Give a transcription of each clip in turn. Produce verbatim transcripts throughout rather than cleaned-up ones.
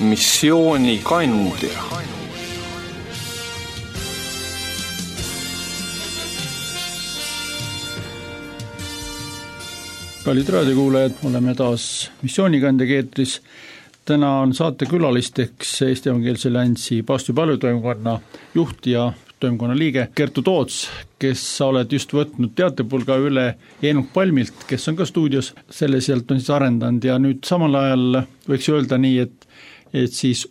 missioonikandja. Kallid raadiokuulajad, oleme taas missioonikandja keetris. Täna on saate külalisteks Eesti Evangeelse Alliansi Paavsti palvetoimkonna juht ja toimkonna liige Kertu Toots, kes sa oled just võtnud teatepulga üle Eenok Palmilt, kes on ka stuudios, selle sealt on siis arendanud ja nüüd samal ajal võiks öelda nii, et, et siis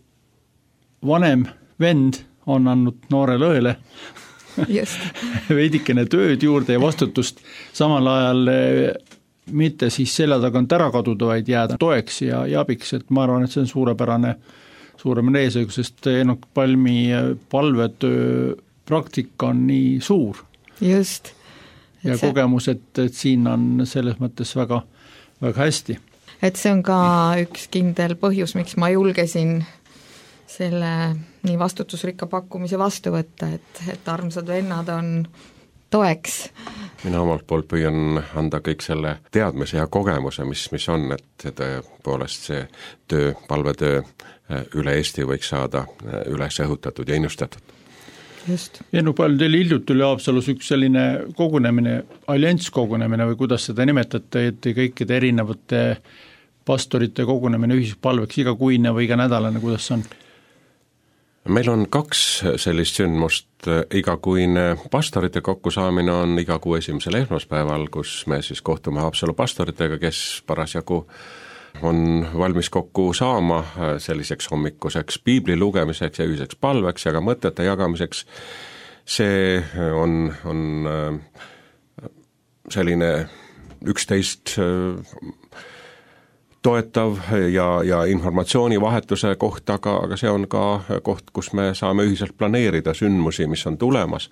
vanem vend on andnud noorele õele veidikene tööd juurde ja vastutust, samal ajal mitte siis selja tagant ära kaduda, vaid jääda toeks ja, ja abiks, et ma arvan, et see on suurepärane, suuremane eesõigu, sest Eenok Palmi palvetöö praktika on nii suur. Just. Ja see... kogemus, et, et siin on selles mõttes väga, väga hästi. Et see on ka üks kindel põhjus, miks ma julgesin selle nii vastutusrikka pakkumise vastu võtta, et, et armsad vennad on toeks. Mina omalt poolt püüan anda kõik selle teadmise ja kogemuse, mis, mis on, et tõepoolest see töö, palvetöö üle Eesti võiks saada üles õhutatud ja innustatud. Just. Eenok Palm, teil hiljuti oli Haapsalus üks selline kogunemine, allianss kogunemine või kuidas seda nimetate, et kõikide erinevate pastorite kogunemine ühispalveks igakuine või iga nädalane, kuidas see on? Meil on kaks sellist sündmust, igakuine pastorite kokkusaamine on iga kuu esimesel esmaspäeval, kus me siis kohtume Haapsalu pastoritega, kes parasjagu on valmis kokku saama selliseks hommikuseks piibli lugemiseks ja ühiseks palveks ja ka mõtete jagamiseks. See on, on selline üksteist toetav ja, ja informatsioonivahetuse koht, aga, aga see on ka koht, kus me saame ühiselt planeerida sündmusi, mis on tulemas.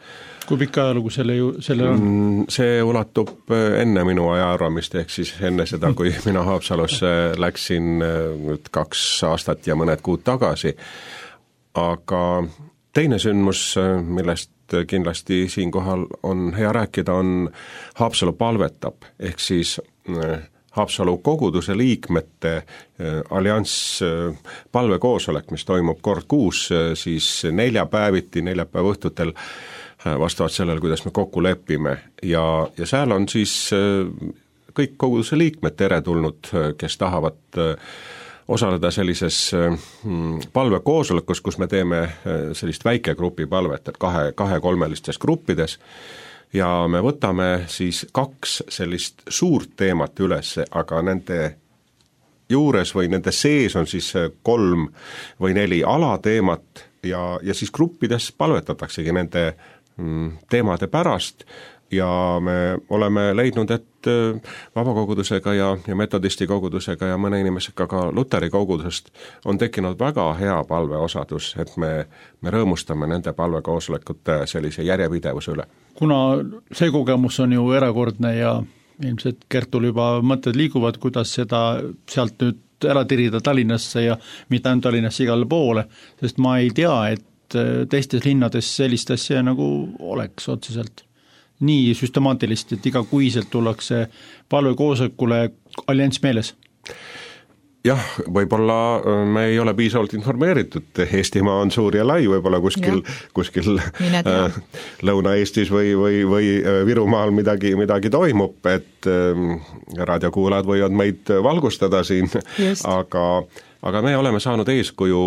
Kui pikka ajalugu selle, selle on? See ulatub enne minu ajaarvamist, ehk siis enne seda, kui mina Haapsalusse läksin nüüd kaks aastat ja mõned kuud tagasi. Aga teine sündmus, millest kindlasti siinkohal on hea rääkida, on Haapsalu palvetab, ehk siis Haapsalu koguduse liikmete allianss palvekoosolek, mis toimub kord kuus, siis neljapäeviti, neljapäeva õhtutel vastavalt sellele, kuidas me kokku lepime. Ja, ja seal on siis kõik koguduse liikmed teretulnud, kes tahavad osaleda sellises palvekoosolekus, kus me teeme sellist väikegrupi palvet, et kahe, kahe-kolmelistes gruppides. Ja me võtame siis kaks sellist suurt teemat üles, aga nende juures või nende sees on siis kolm või neli alateemat ja, ja siis gruppides palvetataksegi nende teemade pärast ja me oleme leidnud, et vabakogudusega ja, ja metodisti kogudusega ja mõne inimesega ka Luteri kogudusest on tekkinud väga hea palveosadus, et me, me rõõmustame nende palvekoosolekute sellise järjepidevuse üle. Kuna see kogemus on ju erakordne ja ilmselt Kertul juba mõtted liiguvad, kuidas seda sealt nüüd ära tirida Tallinnasse ja mitte ainult Tallinnasse igale poole, sest ma ei tea, et teistes linnades sellist asja nagu oleks otseselt nii süstemaatilist, et iga kuiselt tullakse palvekoosolekule allianss meeles. Jah, võib-olla me ei ole piisavalt informeeritud, Eestimaa on suur ja lai, võib-olla kuskil, kuskil äh, Lõuna-Eestis või, või, või Virumaal midagi, midagi toimub, et äh, raadiokuulajad võivad meid valgustada siin, aga, aga me oleme saanud eeskuju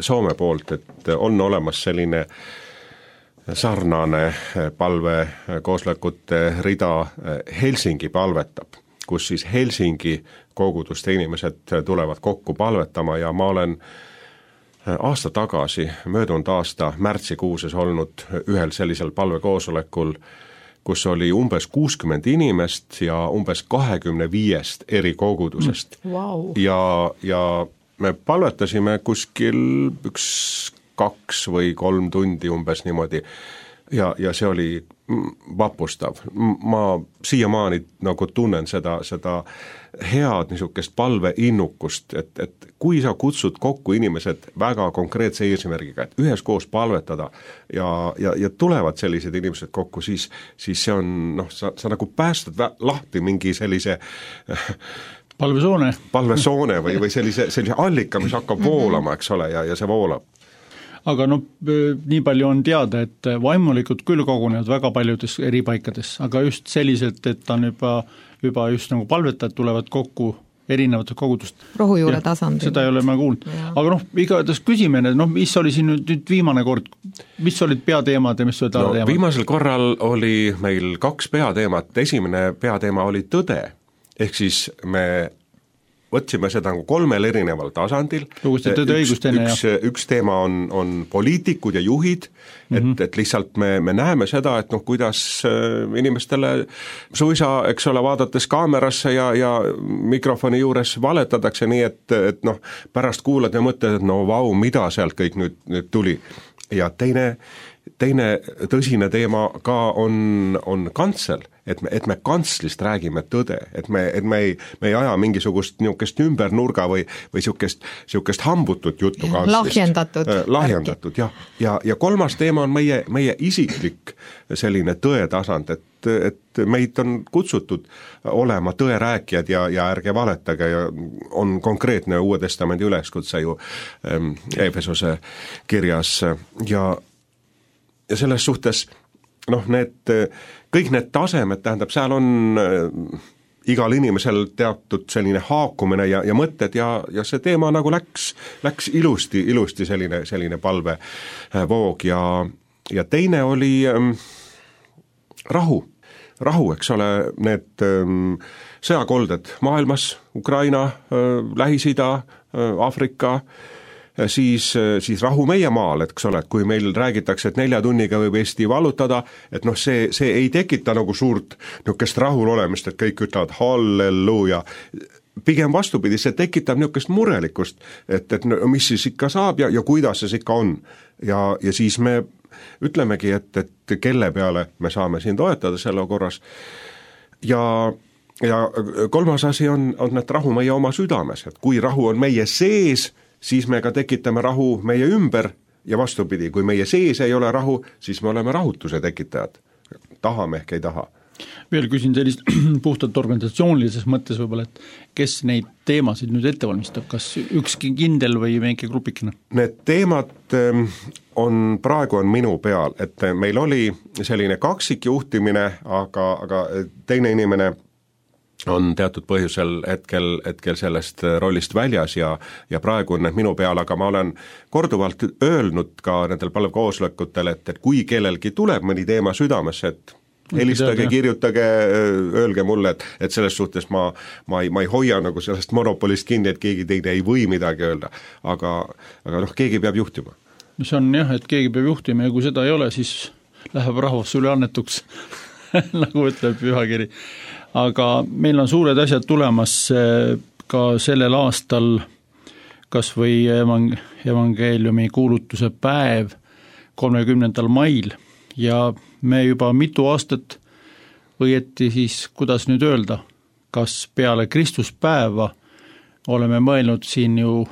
Soome poolt, et on olemas selline sarnane palvekoosolekute rida Helsingi palvetab, kus siis Helsingi koguduste inimesed tulevad kokku palvetama ja ma olen aasta tagasi, möödunud aasta märtsikuuses olnud ühel sellisel palvekoosolekul, kus oli umbes kuuskümmend inimest ja umbes kahekümne viiest eri kogudusest. Mm, wow. ja, ja me palvetasime kuskil üks kaks või kolm tundi umbes niimoodi ja, ja see oli vapustav. Ma siiamaani nagu tunnen seda, seda head niisugust palveinnukust, et, et kui sa kutsud kokku inimesed väga konkreetse eesmärgiga, et üheskoos palvetada ja, ja, ja tulevad sellised inimesed kokku, siis, siis see on, noh, sa, sa nagu päästad lahti mingi sellise palvesoone. palvesoone või, või sellise, sellise allika, mis hakkab voolama, eks ole, ja, ja see voolab. Aga noh, nii palju on teada, et vaimulikud küll kogunevad väga paljudes eri paikades, aga just selliselt, et on juba, juba just nagu palvetajad tulevad kokku erinevatest kogudust. Rohujuure tasandil. Seda ei ole ma kuulnud. Aga noh, igatahes küsime, noh, mis oli siin nüüd, nüüd viimane kord, mis olid peateemad ja mis olid no, alateemad? Viimasel korral oli meil kaks peateemat, esimene peateema oli tõde, ehk siis me võtsime seda nagu kolmel erineval tasandil. Üks, enne, üks, üks teema on, on poliitikud ja juhid, et, mm -hmm. et lihtsalt me, me näeme seda, et noh, kuidas inimestele suisa, eks ole, vaadates kaamerasse ja, ja mikrofoni juures valetatakse nii, et, et noh, pärast kuulad ja mõtled, et no vau, mida sealt kõik nüüd, nüüd tuli. Ja teine, teine tõsine teema ka on, on kantsel, et me, et me kantslist räägime tõde, et me, et me ei, me ei aja mingisugust niisugust ümbernurga või, või niisugust, niisugust hambutut juttu kanslist. Lahjendatud. Äh, lahjendatud, jah. Ja, ja kolmas teema on meie, meie isiklik selline tõetasand, et, et meid on kutsutud olema tõerääkijad ja, ja ärge valetage ja on konkreetne Uue Testamendi üleskutse ju ähm, Efesose kirjas ja, ja selles suhtes noh, need, kõik need tasemed, tähendab, seal on äh, igal inimesel teatud selline haakumine ja, ja mõtted ja, ja see teema nagu läks, läks ilusti, ilusti selline, selline palvevoog ja, ja teine oli ähm, rahu, rahu, eks ole, need ähm, sõjakolded maailmas, Ukraina äh,, Lähis-Ida äh,, Aafrika, siis, siis rahu meie maal, eks ole, et kui meil räägitakse, et nelja tunniga võib Eesti vallutada, et noh, see, see ei tekita nagu suurt niisugust rahulolemist, et kõik ütlevad halleluuja. Pigem vastupidi, see tekitab niisugust murelikkust, et, et no, mis siis ikka saab ja, ja kuidas see ikka on. Ja, ja siis me ütlemegi, et, et kelle peale me saame siin toetada selle korras. Ja ja kolmas asi on, on et rahu meie oma südames, et kui rahu on meie sees, siis me ka tekitame rahu meie ümber ja vastupidi, kui meie sees ei ole rahu, siis me oleme rahutuse tekitajad. Tahame ehk ei taha. Veel küsin sellist puhtalt organisatsioonilises mõttes võib-olla, et kes neid teemasid nüüd ette valmistab, kas ükski kindel või mingi grupikene? Need teemad on, praegu on minu peal, et meil oli selline kaksik juhtimine, aga, aga teine inimene on teatud põhjusel hetkel, hetkel sellest rollist väljas ja, ja praegu on need minu peal, aga ma olen korduvalt öelnud ka nendel palvekoosolekutel, et, et kui kellelgi tuleb mõni teema südamesse, et helistage, kirjutage, öelge mulle, et, et selles suhtes ma, ma, ei, ma ei hoia nagu sellest monopolist kinni, et keegi teine ei või midagi öelda, aga, aga noh, keegi peab juhtima. See on jah, et keegi peab juhtima ja kui seda ei ole, siis läheb rahvas üle annetuks nagu ütleb pühakiri. Aga meil on suured asjad tulemas ka sellel aastal kas või evang- evangeeliumi kuulutuse päev kolmekümnendal mail ja me juba mitu aastat õieti siis, kuidas nüüd öelda, kas peale Kristuspäeva oleme mõelnud siin ju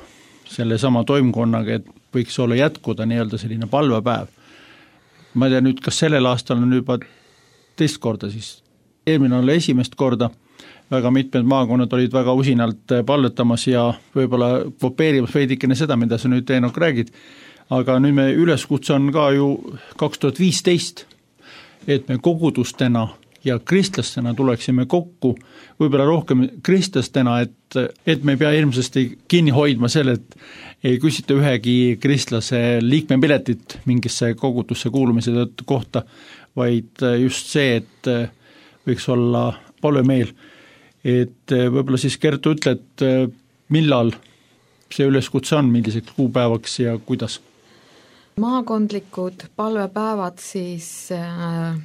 selle sama toimkonnaga, et võiks olla jätkuda nii-öelda selline palvepäev. Ma ei tea nüüd, kas sellel aastal on juba teist korda siis, eelmine oli esimest korda, väga mitmed maakonnad olid väga usinalt palvetamas ja võib-olla kopeerimas veidikene seda, mida sa nüüd Eenok räägid, aga nüüd me üleskutse on ka ju kaks tuhat viisteist, et me kogudustena ja kristlastena tuleksime kokku, võib-olla rohkem kristlastena, et, et me ei pea ilmsesti kinni hoidma selle, et ei küsita ühegi kristlase liikmepiletit mingisse kogudusse kuulumise kohta, vaid just see, et võiks olla palvemeel, et võib-olla siis Kertu ütle, et millal see üleskutse on, milliseks kuupäevaks ja kuidas? Maakondlikud palvepäevad siis äh,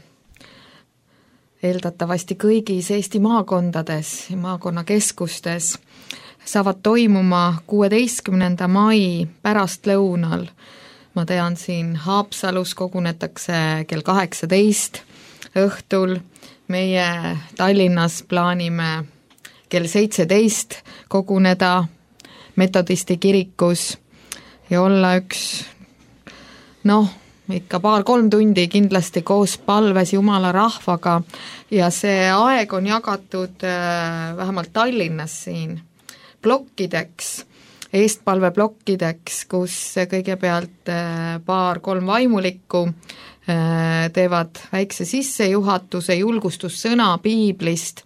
eeldatavasti kõigis Eesti maakondades ja maakonnakeskustes saavad toimuma kuueteistkümnenda mai pärastlõunal. Ma tean, siin Haapsalus kogunetakse kell kaheksateist õhtul, meie Tallinnas plaanime kell seitseteist koguneda metodisti kirikus ja olla üks noh, ikka paar-kolm tundi kindlasti koos palves Jumala rahvaga ja see aeg on jagatud vähemalt Tallinnas siin plokkideks, eestpalveplokkideks, kus kõigepealt paar-kolm vaimulikku teevad väikse sissejuhatuse, julgustussõna piiblist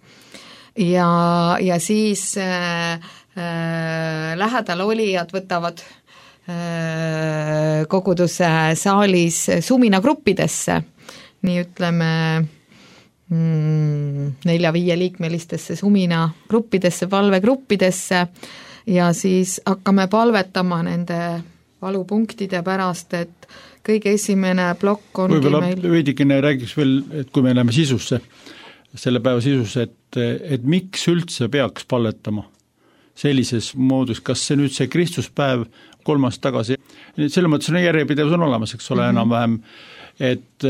ja, ja siis äh, äh, lähedal olijad võtavad äh, koguduse saalis suminagruppidesse, nii ütleme mm, nelja-viie liikmelistesse suminagruppidesse, palvegruppidesse ja siis hakkame palvetama nende valupunktide pärast, et kõige esimene plokk ongi võib-olla meil veidikene räägiks veel, et kui me läheme sisusse, selle päeva sisusse, et, et miks üldse peaks palvetama sellises moodus, kas see nüüd see Kristuspäev kolm aastat tagasi, selle mõttes on järjepidevus on olemas, eks ole, mm-hmm. enam-vähem, et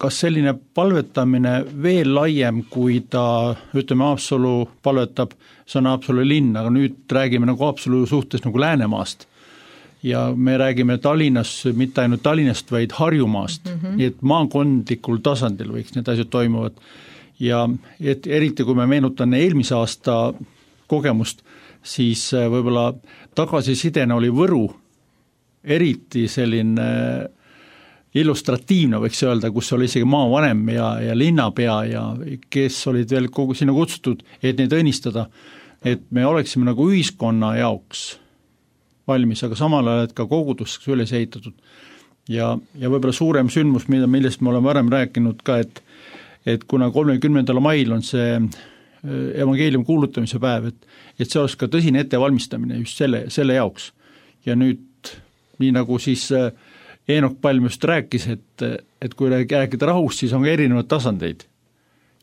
kas selline palvetamine veel laiem, kui ta, ütleme, Haapsalu palvetab, see on Haapsalu linn, aga nüüd räägime nagu Haapsalu suhtes nagu Läänemaast. Ja me räägime Tallinnas, mitte ainult Tallinnast, vaid Harjumaast, mm-hmm. nii et maakondlikul tasandil võiks need asjad toimuvad. Ja et eriti, kui me meenutan eelmise aasta kogemust, siis võib-olla tagasisidena oli Võru eriti selline illustratiivne, võiks öelda, kus oli isegi maavanem ja, ja linnapea ja kes olid veel kogu sinna kutsutud, et neid õnnistada, et me oleksime nagu ühiskonna jaoks valmis, aga samal ajal, et ka koguduseks üles ehitatud. Ja, ja võib-olla suurem sündmus, mida, millest me oleme varem rääkinud ka, et, et kuna kolmekümnendal mail on see evangeelium kuulutamise päev, et, et see oleks ka tõsine ettevalmistamine just selle, selle jaoks. Ja nüüd, nii nagu siis Eenok Palm just rääkis, et, et kui rääkida rahust, siis on ka erinevad tasandeid.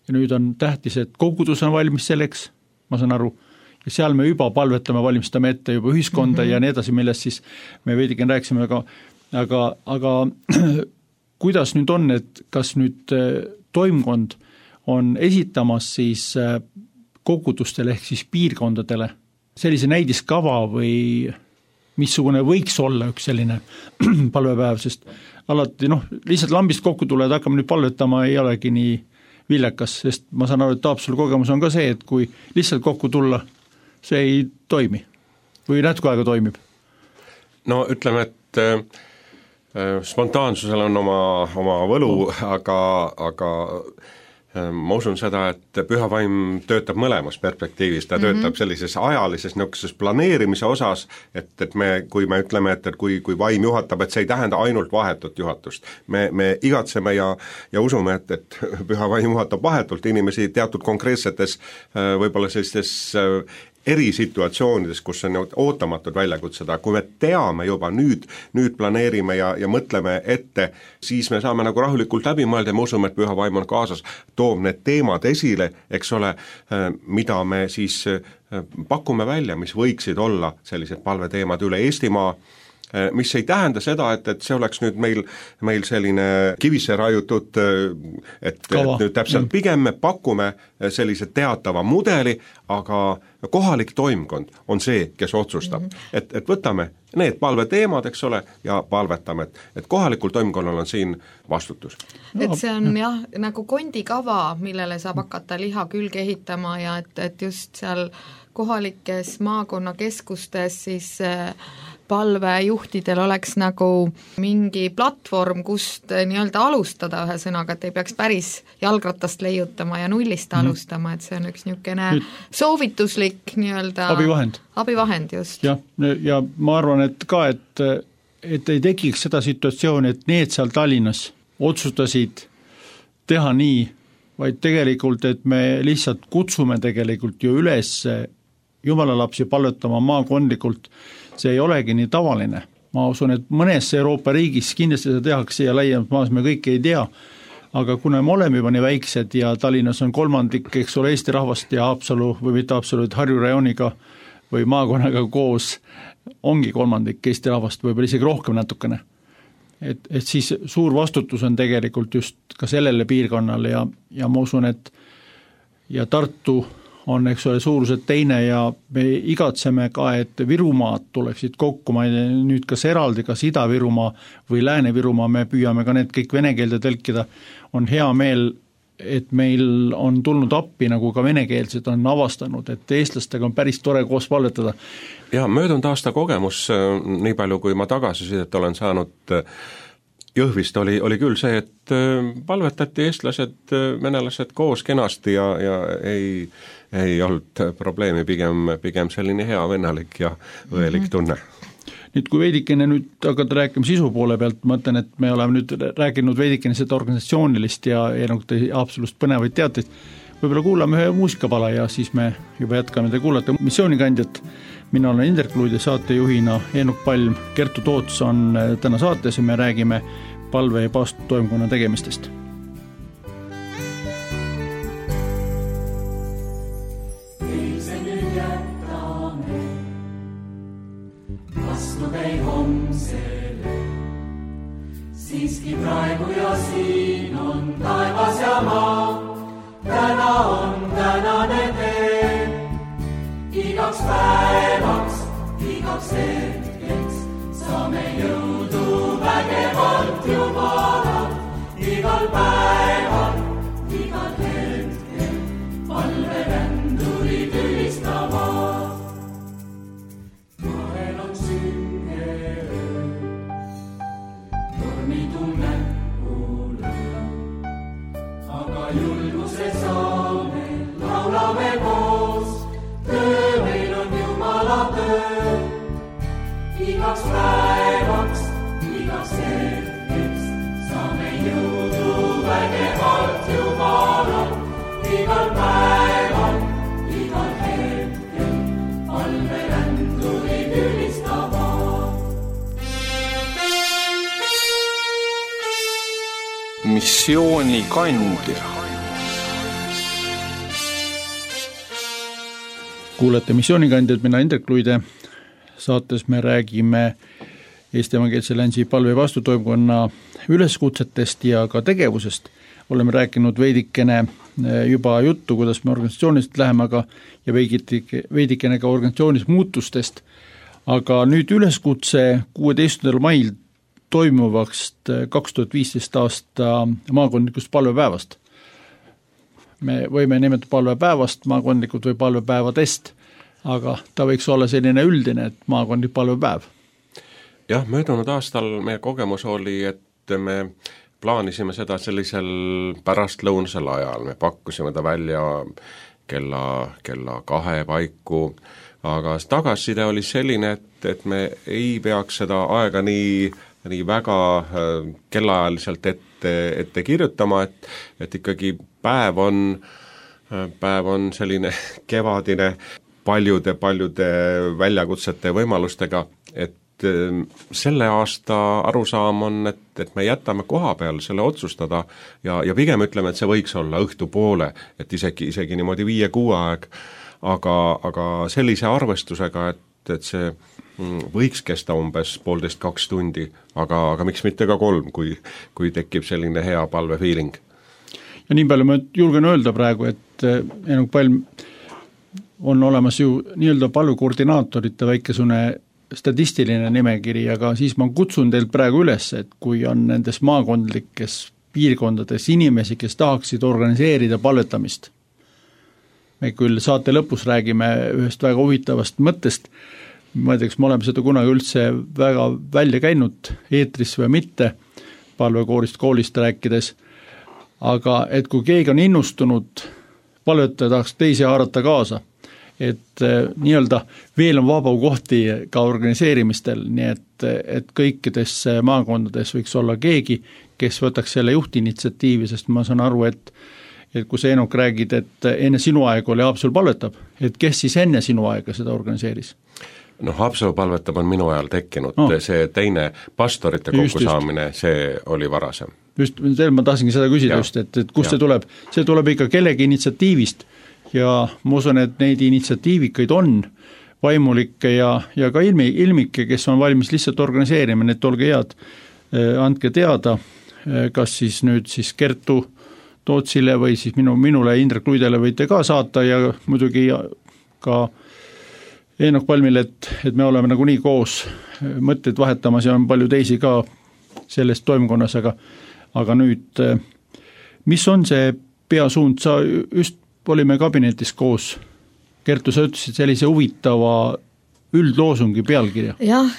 Ja nüüd on tähtis, et kogudus on valmis selleks, ma saan aru, ja seal me juba palvetame, valmistame ette juba ühiskonda mm-hmm. ja nii edasi, millest siis me veidikene rääkisime, aga, aga, aga kuidas nüüd on, et kas nüüd toimkond on esitamas siis kogudustele ehk siis piirkondadele sellise näidiskava või missugune võiks olla üks selline palvepäev, sest alati noh, lihtsalt lambist kokku tuled, hakkame nüüd palvetama, ei olegi nii viljakas, sest ma saan aru, et Haapsalu kogemus on ka see, et kui lihtsalt kokku tulla, see ei toimi või natuke aega toimib? No ütleme, et äh, spontaansusel on oma, oma võlu, aga, aga äh, ma usun seda, et püha vaim töötab mõlemas perspektiivis, ta mm-hmm. töötab sellises ajalises niisuguses planeerimise osas, et, et me, kui me ütleme, et, et kui, kui vaim juhatab, et see ei tähenda ainult vahetut juhatust. Me, me igatseme ja, ja usume, et, et püha vaim juhatab vahetult inimesi teatud konkreetsetes äh, võib-olla sellistes äh, erisituatsioonides, kus on ootamatud väljakutsed, aga kui me teame juba nüüd, nüüd planeerime ja, ja mõtleme ette, siis me saame nagu rahulikult läbi mõelda ja me usume, et püha vaim on kaasas, toob need teemad esile, eks ole, mida me siis pakume välja, mis võiksid olla sellised palveteemad üle Eestimaa, mis ei tähenda seda, et, et see oleks nüüd meil, meil selline kivisse raiutud, et, et nüüd täpselt pigem me pakume sellise teatava mudeli, aga kohalik toimkond on see, kes otsustab. Mm-hmm. Et, et võtame need palveteemad, eks ole, ja palvetame, et, et kohalikul toimkonnal on siin vastutus. Et see on jah, nagu kondikava, millele saab hakata liha külge ehitama ja et, et just seal kohalikes maakonnakeskustes siis palvejuhtidel oleks nagu mingi platvorm, kust nii-öelda alustada ühe sõnaga, et ei peaks päris jalgratast leiutama ja nullist mm-hmm. alustama, et see on üks niisugune soovituslik nii-öelda abivahend. abivahend just. jah, ja ma arvan, et ka, et, et ei tekiks seda situatsiooni, et need seal Tallinnas otsustasid teha nii, vaid tegelikult, et me lihtsalt kutsume tegelikult ju üles Jumala lapsi palvetama maakondlikult, see ei olegi nii tavaline. Ma usun, et mõnes Euroopa riigis kindlasti seda tehakse ja laiemalt maas me kõike ei tea, aga kuna me oleme juba nii väiksed ja Tallinnas on kolmandik, eks ole, Eesti rahvast ja Haapsalu või mitte Haapsalu, et Harju rajooniga või maakonnaga koos ongi kolmandik Eesti rahvast, võib-olla isegi rohkem natukene. Et, et siis suur vastutus on tegelikult just ka sellele piirkonnale ja, ja ma usun, et ja Tartu on, eks ole, suuruselt teine ja me igatseme ka, et Virumaad tuleksid kokku, ma ei tea nüüd kas eraldi, kas Ida-Virumaa või Lääne-Virumaa, me püüame ka need kõik vene keelde tõlkida, on hea meel, et meil on tulnud appi, nagu ka venekeelsed on avastanud, et eestlastega on päris tore koos palvetada. Ja möödunud aasta kogemus, nii palju kui ma tagasisidet olen saanud Jõhvist, oli, oli küll see, et palvetati eestlased, venelased koos kenasti ja, ja ei, ei olnud probleemi, pigem, pigem selline hea vennalik ja õelik tunne. Nüüd kui veidikene nüüd hakata rääkima sisu poole pealt, ma mõtlen, et me oleme nüüd rääkinud veidikene seda organisatsioonilist ja, ja nagu te absoluutselt põnevaid teateid, võib-olla kuulame ühe muusikapala ja siis me juba jätkame, te kuulate missioonikandjat, mina olen Indrek Luid ja saatejuhina Eenok Palm, Kertu Toots on täna saates ja me räägime palve- ja paastoimkonna tegemistest. Siiski praegu ja siin on taevas ja maa, täna on tänane tee. Igaks päevaks, igaks hetkeks saame jõudu vägevalt Jumalalt. Igal päeval, igal hetkel palverändurid ülistavad. Vahel on sünge öö, tormi tunne kuule, aga julguse saame, laulame koos. Töö meil on Jumala töö, igaks päevaks, igaks hetkeks saame jõudu vägevalt Jumalalt. Igal päeval, igal hetkel palverändurid ülistavad. Missioonikandja. Kuulete missioonikandjad, mina Indrek Luide, saates me räägime Eesti Evangeelse Länsi palve- ja vastutoimkonna üleskutsetest ja ka tegevusest. Oleme rääkinud veidikene juba juttu, kuidas me organisatsioonist läheme, aga ja veidikene ka organisatsioonis muutustest. Aga nüüd üleskutse kuueteistkümnendal mail toimuvast kaks tuhat viisteist aasta maakondlikust palvepäevast. Me võime nimetada palvepäevast maakondlikud või palvepäevadest, aga ta võiks olla selline üldine, et maakondlik palvepäev. Jah, möödunud aastal meie kogemus oli, et me plaanisime seda sellisel pärastlõunasel ajal, me pakkusime ta välja kella, kella kahe paiku, aga tagasiside oli selline, et, et me ei peaks seda aega nii, nii väga kellaajaliselt ette, ette kirjutama, et, et ikkagi päev on, päev on selline kevadine paljude, paljude väljakutsete ja võimalustega, et selle aasta arusaam on, et, et me jätame koha peal selle otsustada ja, ja pigem ütleme, et see võiks olla õhtupoole, et isegi, isegi niimoodi viie-kuue aeg, aga, aga sellise arvestusega, et, et see võiks kesta umbes poolteist kaks tundi, aga, aga miks mitte ka kolm, kui, kui tekib selline hea palvefiiling. Ja nii palju ma julgen öelda praegu, et Eenok Palm on olemas ju nii-öelda palvekoordinaatorite väikesune statistiline nimekiri, aga siis ma kutsun teilt praegu üles, et kui on nendes maakondlikes piirkondades inimesi, kes tahaksid organiseerida palvetamist. Me küll saate lõpus räägime ühest väga huvitavast mõttest, ma ei tea, kas me oleme seda kunagi üldse väga välja käinud eetris või mitte, palvekoorist koolist rääkides, aga et kui keegi on innustunud palvetada, tahaks teisi haarata kaasa, et nii-öelda veel on vaba kohti ka organiseerimistel, nii et, et kõikides maakondades võiks olla keegi, kes võtaks selle juhtinitsiatiivi, sest ma saan aru, et, et kui sa Eenok räägid, et enne sinu aega oli Haapsalu palvetab, et kes siis enne sinu aega seda organiseeris? No Haapsalu palvetab on minu ajal tekkinud, no. See teine pastorite kokkusaamine, see oli varasem. Just, ma tahtsingi seda küsida ja. just, et, et kust ja. see tuleb? See tuleb ikka kellegi initsiatiivist ja ma usun, et neid initsiatiivikaid on vaimulikke ja, ja ka ilmi, ilmikke, kes on valmis lihtsalt organiseerima, need olge head, andke teada, kas siis nüüd siis Kertu Tootsile või siis minu, minule Indrek Luidele võite ka saata ja muidugi ka Eenok Palmile, et, et me oleme nagunii koos mõtteid vahetamas ja on palju teisi ka selles toimkonnas, aga, aga nüüd, mis on see peasuund, sa just olime kabinetis koos, Kertu, sa ütlesid sellise huvitava üldloosungi pealkirja. Jah,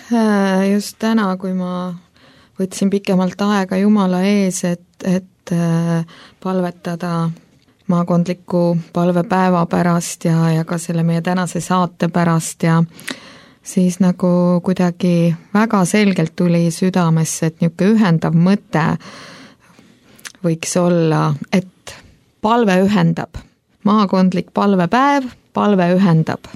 just täna, kui ma võtsin pikemalt aega Jumala ees, et, et palvetada maakondliku palvepäeva pärast ja, ja ka selle meie tänase saate pärast ja siis nagu kuidagi väga selgelt tuli südamesse, et niisugune ühendav mõte võiks olla, et palve ühendab. Maakondlik palvepäev, palve ühendab.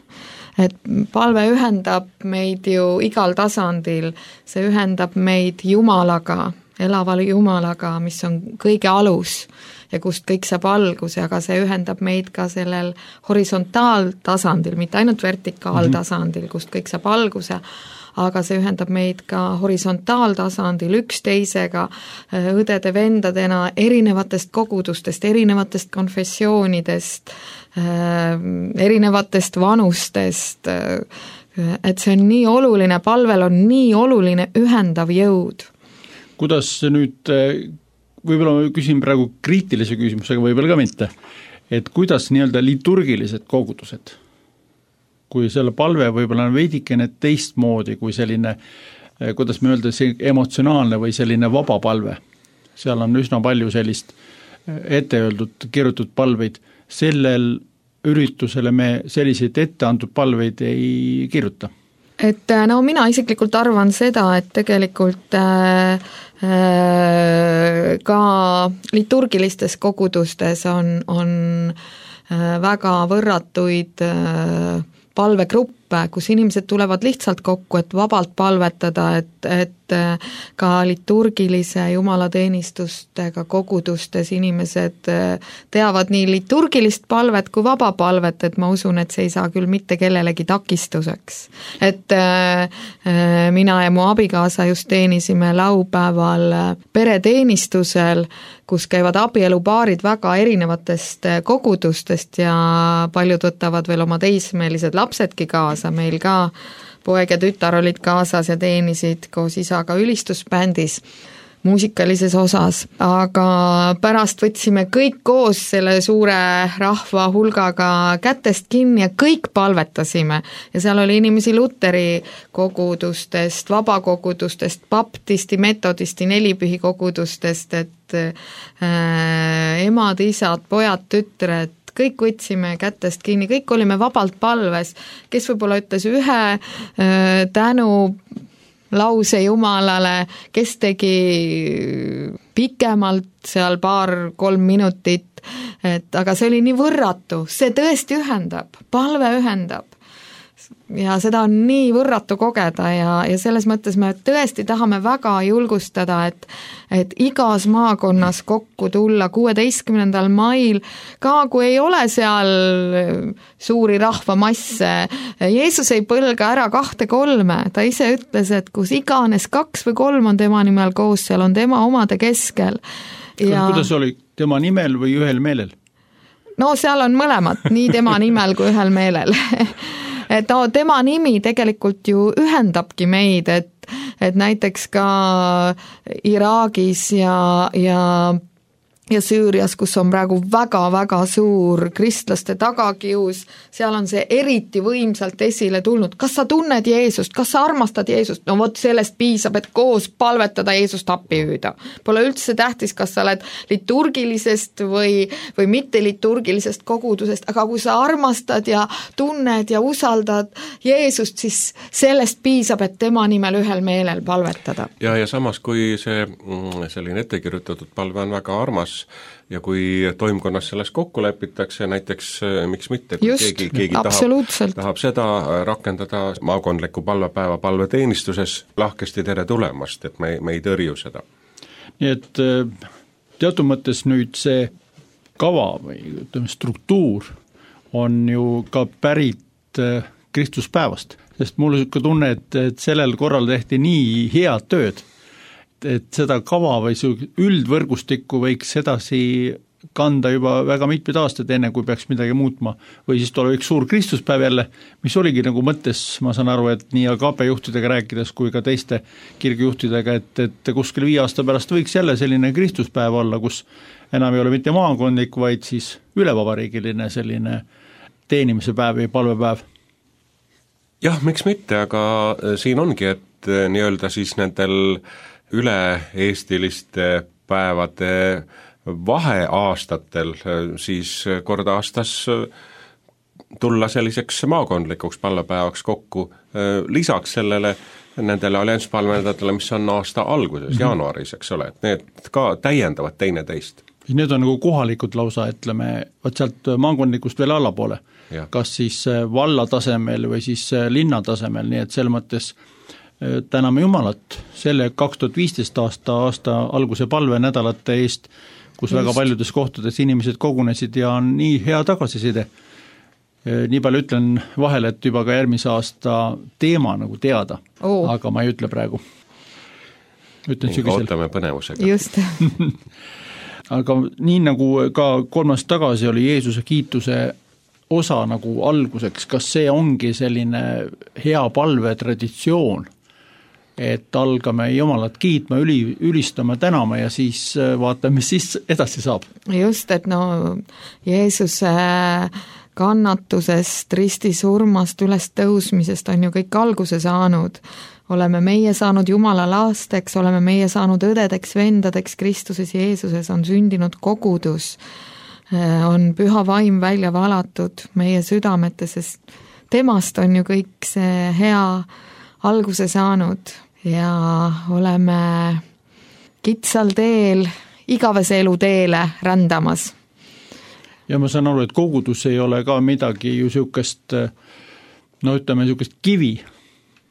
Et palve ühendab meid ju igal tasandil, see ühendab meid Jumalaga, elava Jumalaga, mis on kõige alus ja kust kõik saab alguse, aga see ühendab meid ka sellel horisontaaltasandil, mitte ainult vertikaaltasandil, kust kõik saab alguse, aga see ühendab meid ka horisontaaltasandil üksteisega, õdede-vendadena, erinevatest kogudustest, erinevatest konfessioonidest, erinevatest vanustest, et see on nii oluline, palvel on nii oluline ühendav jõud. Kuidas nüüd, võib-olla ma küsin praegu kriitilise küsimusega, võib-olla ka mitte, et kuidas nii-öelda liturgilised kogudused, kui selle palve võib-olla on veidikene teistmoodi kui selline, kuidas me öelda, see emotsionaalne või selline vaba palve, seal on üsna palju sellist ette öeldud, kirjutatud palveid, sellel üritusele me selliseid ette antud palveid ei kirjuta. Et no mina isiklikult arvan seda, et tegelikult äh, äh, ka liturgilistes kogudustes on, on äh, väga võrratuid äh, palvegruppe, kus inimesed tulevad lihtsalt kokku, et vabalt palvetada, et, et ka liturgilise jumalateenistustega kogudustes inimesed teavad nii liturgilist palvet kui vaba palvet, et ma usun, et see ei saa küll mitte kellelegi takistuseks. Et mina ja mu abikaasa just teenisime laupäeval pereteenistusel, kus käivad abielupaarid väga erinevatest kogudustest ja paljud võtavad veel oma teismelised lapsedki kaasa, meil ka poeg ja tütar olid kaasas ja teenisid koos isaga ülistusbändis muusikalises osas, aga pärast võtsime kõik koos selle suure rahva hulgaga kätest kinni ja kõik palvetasime ja seal oli inimesi luteri kogudustest, vabakogudustest, baptisti, metodisti, nelipühi kogudustest, et äh, emad, isad, pojad, tütred, kõik võtsime kätest kinni, kõik olime vabalt palves, kes võib-olla ütles ühe äh, tänu lause Jumalale, kes tegi pikemalt seal paar-kolm minutit, et aga see oli nii võrratu, see tõesti ühendab, palve ühendab. Ja seda on nii võrratu kogeda ja, ja selles mõttes me tõesti tahame väga julgustada, et, et igas maakonnas kokku tulla kuueteistkümnendal mail, ka kui ei ole seal suuri rahvamasse, Jeesus ei põlga ära kahte-kolme, ta ise ütles, et kus iganes kaks või kolm on tema nimel koos, seal on tema omade keskel. Ja... Kuidas oli tema nimel või ühel meelel? No seal on mõlemad, nii tema nimel kui ühel meelel. Et no, tema nimi tegelikult ju ühendabki meid, et, et näiteks ka Iraagis ja, ja, ja Süürias, kus on praegu väga-väga suur kristlaste tagakius, seal on see eriti võimsalt esile tulnud. Kas sa tunned Jeesust? Kas sa armastad Jeesust? No vot sellest piisab, et koos palvetada Jeesust appi hüüda. Pole üldse tähtis, kas sa oled liturgilisest või, või mitte liturgilisest kogudusest, aga kui sa armastad ja tunned ja usaldad Jeesust, siis sellest piisab, et tema nimel ühel meelel palvetada. Ja, ja samas, kui see selline ettekirjutatud palve on väga armas, ja kui toimkonnas selles kokku lepitakse, näiteks miks mitte, kui Just, keegi, keegi tahab, tahab seda rakendada maakondliku palvepäeva palveteenistuses, lahkesti tere tulemast, et me, me ei tõrju seda. Nii et teatud mõttes nüüd see kava või ütleme, struktuur on ju ka pärit Kristuspäevast, sest mul on tunne, et, et sellel korral tehti nii head tööd, et seda kava või üldvõrgustikku võiks edasi kanda juba väga mitmed aastad, enne kui peaks midagi muutma, või siis tuleb üks suur Kristuspäev jälle, mis oligi nagu mõttes, ma saan aru, et nii A K P juhtidega rääkides kui ka teiste kirgujuhtidega, et, et kuskil viie aasta pärast võiks jälle selline Kristuspäev olla, kus enam ei ole mitte maakondlik, vaid siis ülevabariigiline selline teenimise päev või palvepäev. Jah, miks mitte, aga siin ongi, et nii-öelda siis nendel üle-eestiliste päevade vaheaastatel siis kord aastas tulla selliseks maakondlikuks palvepäevaks kokku, lisaks sellele nendele allianspalvenädalale, mis on aasta alguses, mm-hmm. jaanuaris, eks ole, et need ka täiendavad teineteist. Need on nagu kohalikud lausa, ütleme, võt sealt maakondlikust veel allapoole, ja. Kas siis valla tasemel või siis linna tasemel, nii et selles mõttes täname Jumalat selle kaks tuhat viisteist aasta, aasta alguse palvenädalate eest, kus Just. väga paljudes kohtades inimesed kogunesid ja on nii hea tagasiside. Nii palju ütlen vahele, et juba ka järgmise aasta teema nagu teada, oh. aga ma ei ütle praegu. Ütlen sügisel. Ootame põnevusega. Just. Aga nii nagu ka kolmas tagasi oli Jeesuse kiituse osa nagu alguseks, kas see ongi selline hea palve traditsioon, et algame Jumalat kiitma, üli, ülistama, tänama ja siis vaatame, mis siis edasi saab. Just, et no Jeesuse kannatusest, ristisurmast, üles tõusmisest on ju kõik alguse saanud. Oleme meie saanud Jumala lasteks, oleme meie saanud õdedeks, vendadeks, Kristuses Jeesuses on sündinud kogudus, on püha vaim välja valatud meie südametes, sest temast on ju kõik see hea alguse saanud ja oleme kitsal teel, igavese elu teele rändamas. Ja ma saan aru, et kogudus ei ole ka midagi ju niisugust, no ütleme niisugust kivi,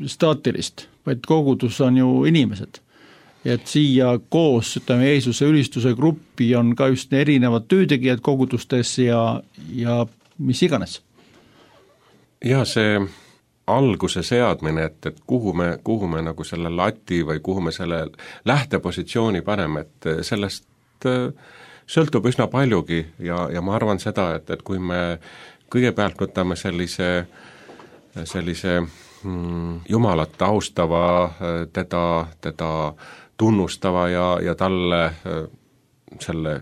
staatilist, vaid kogudus on ju inimesed. Ja et siia koos, ütleme, Jeesuse ülistuse gruppi on ka just erinevad töötegijad kogudustes ja, ja mis iganes. Ja see alguse seadmine, et, et kuhu me, kuhu me nagu selle lati või kuhu me selle lähtepositsiooni paneme, et sellest sõltub üsna paljugi ja, ja ma arvan seda, et, et kui me kõigepealt võtame sellise, sellise mm, Jumalat austava, teda, teda tunnustava ja, ja talle selle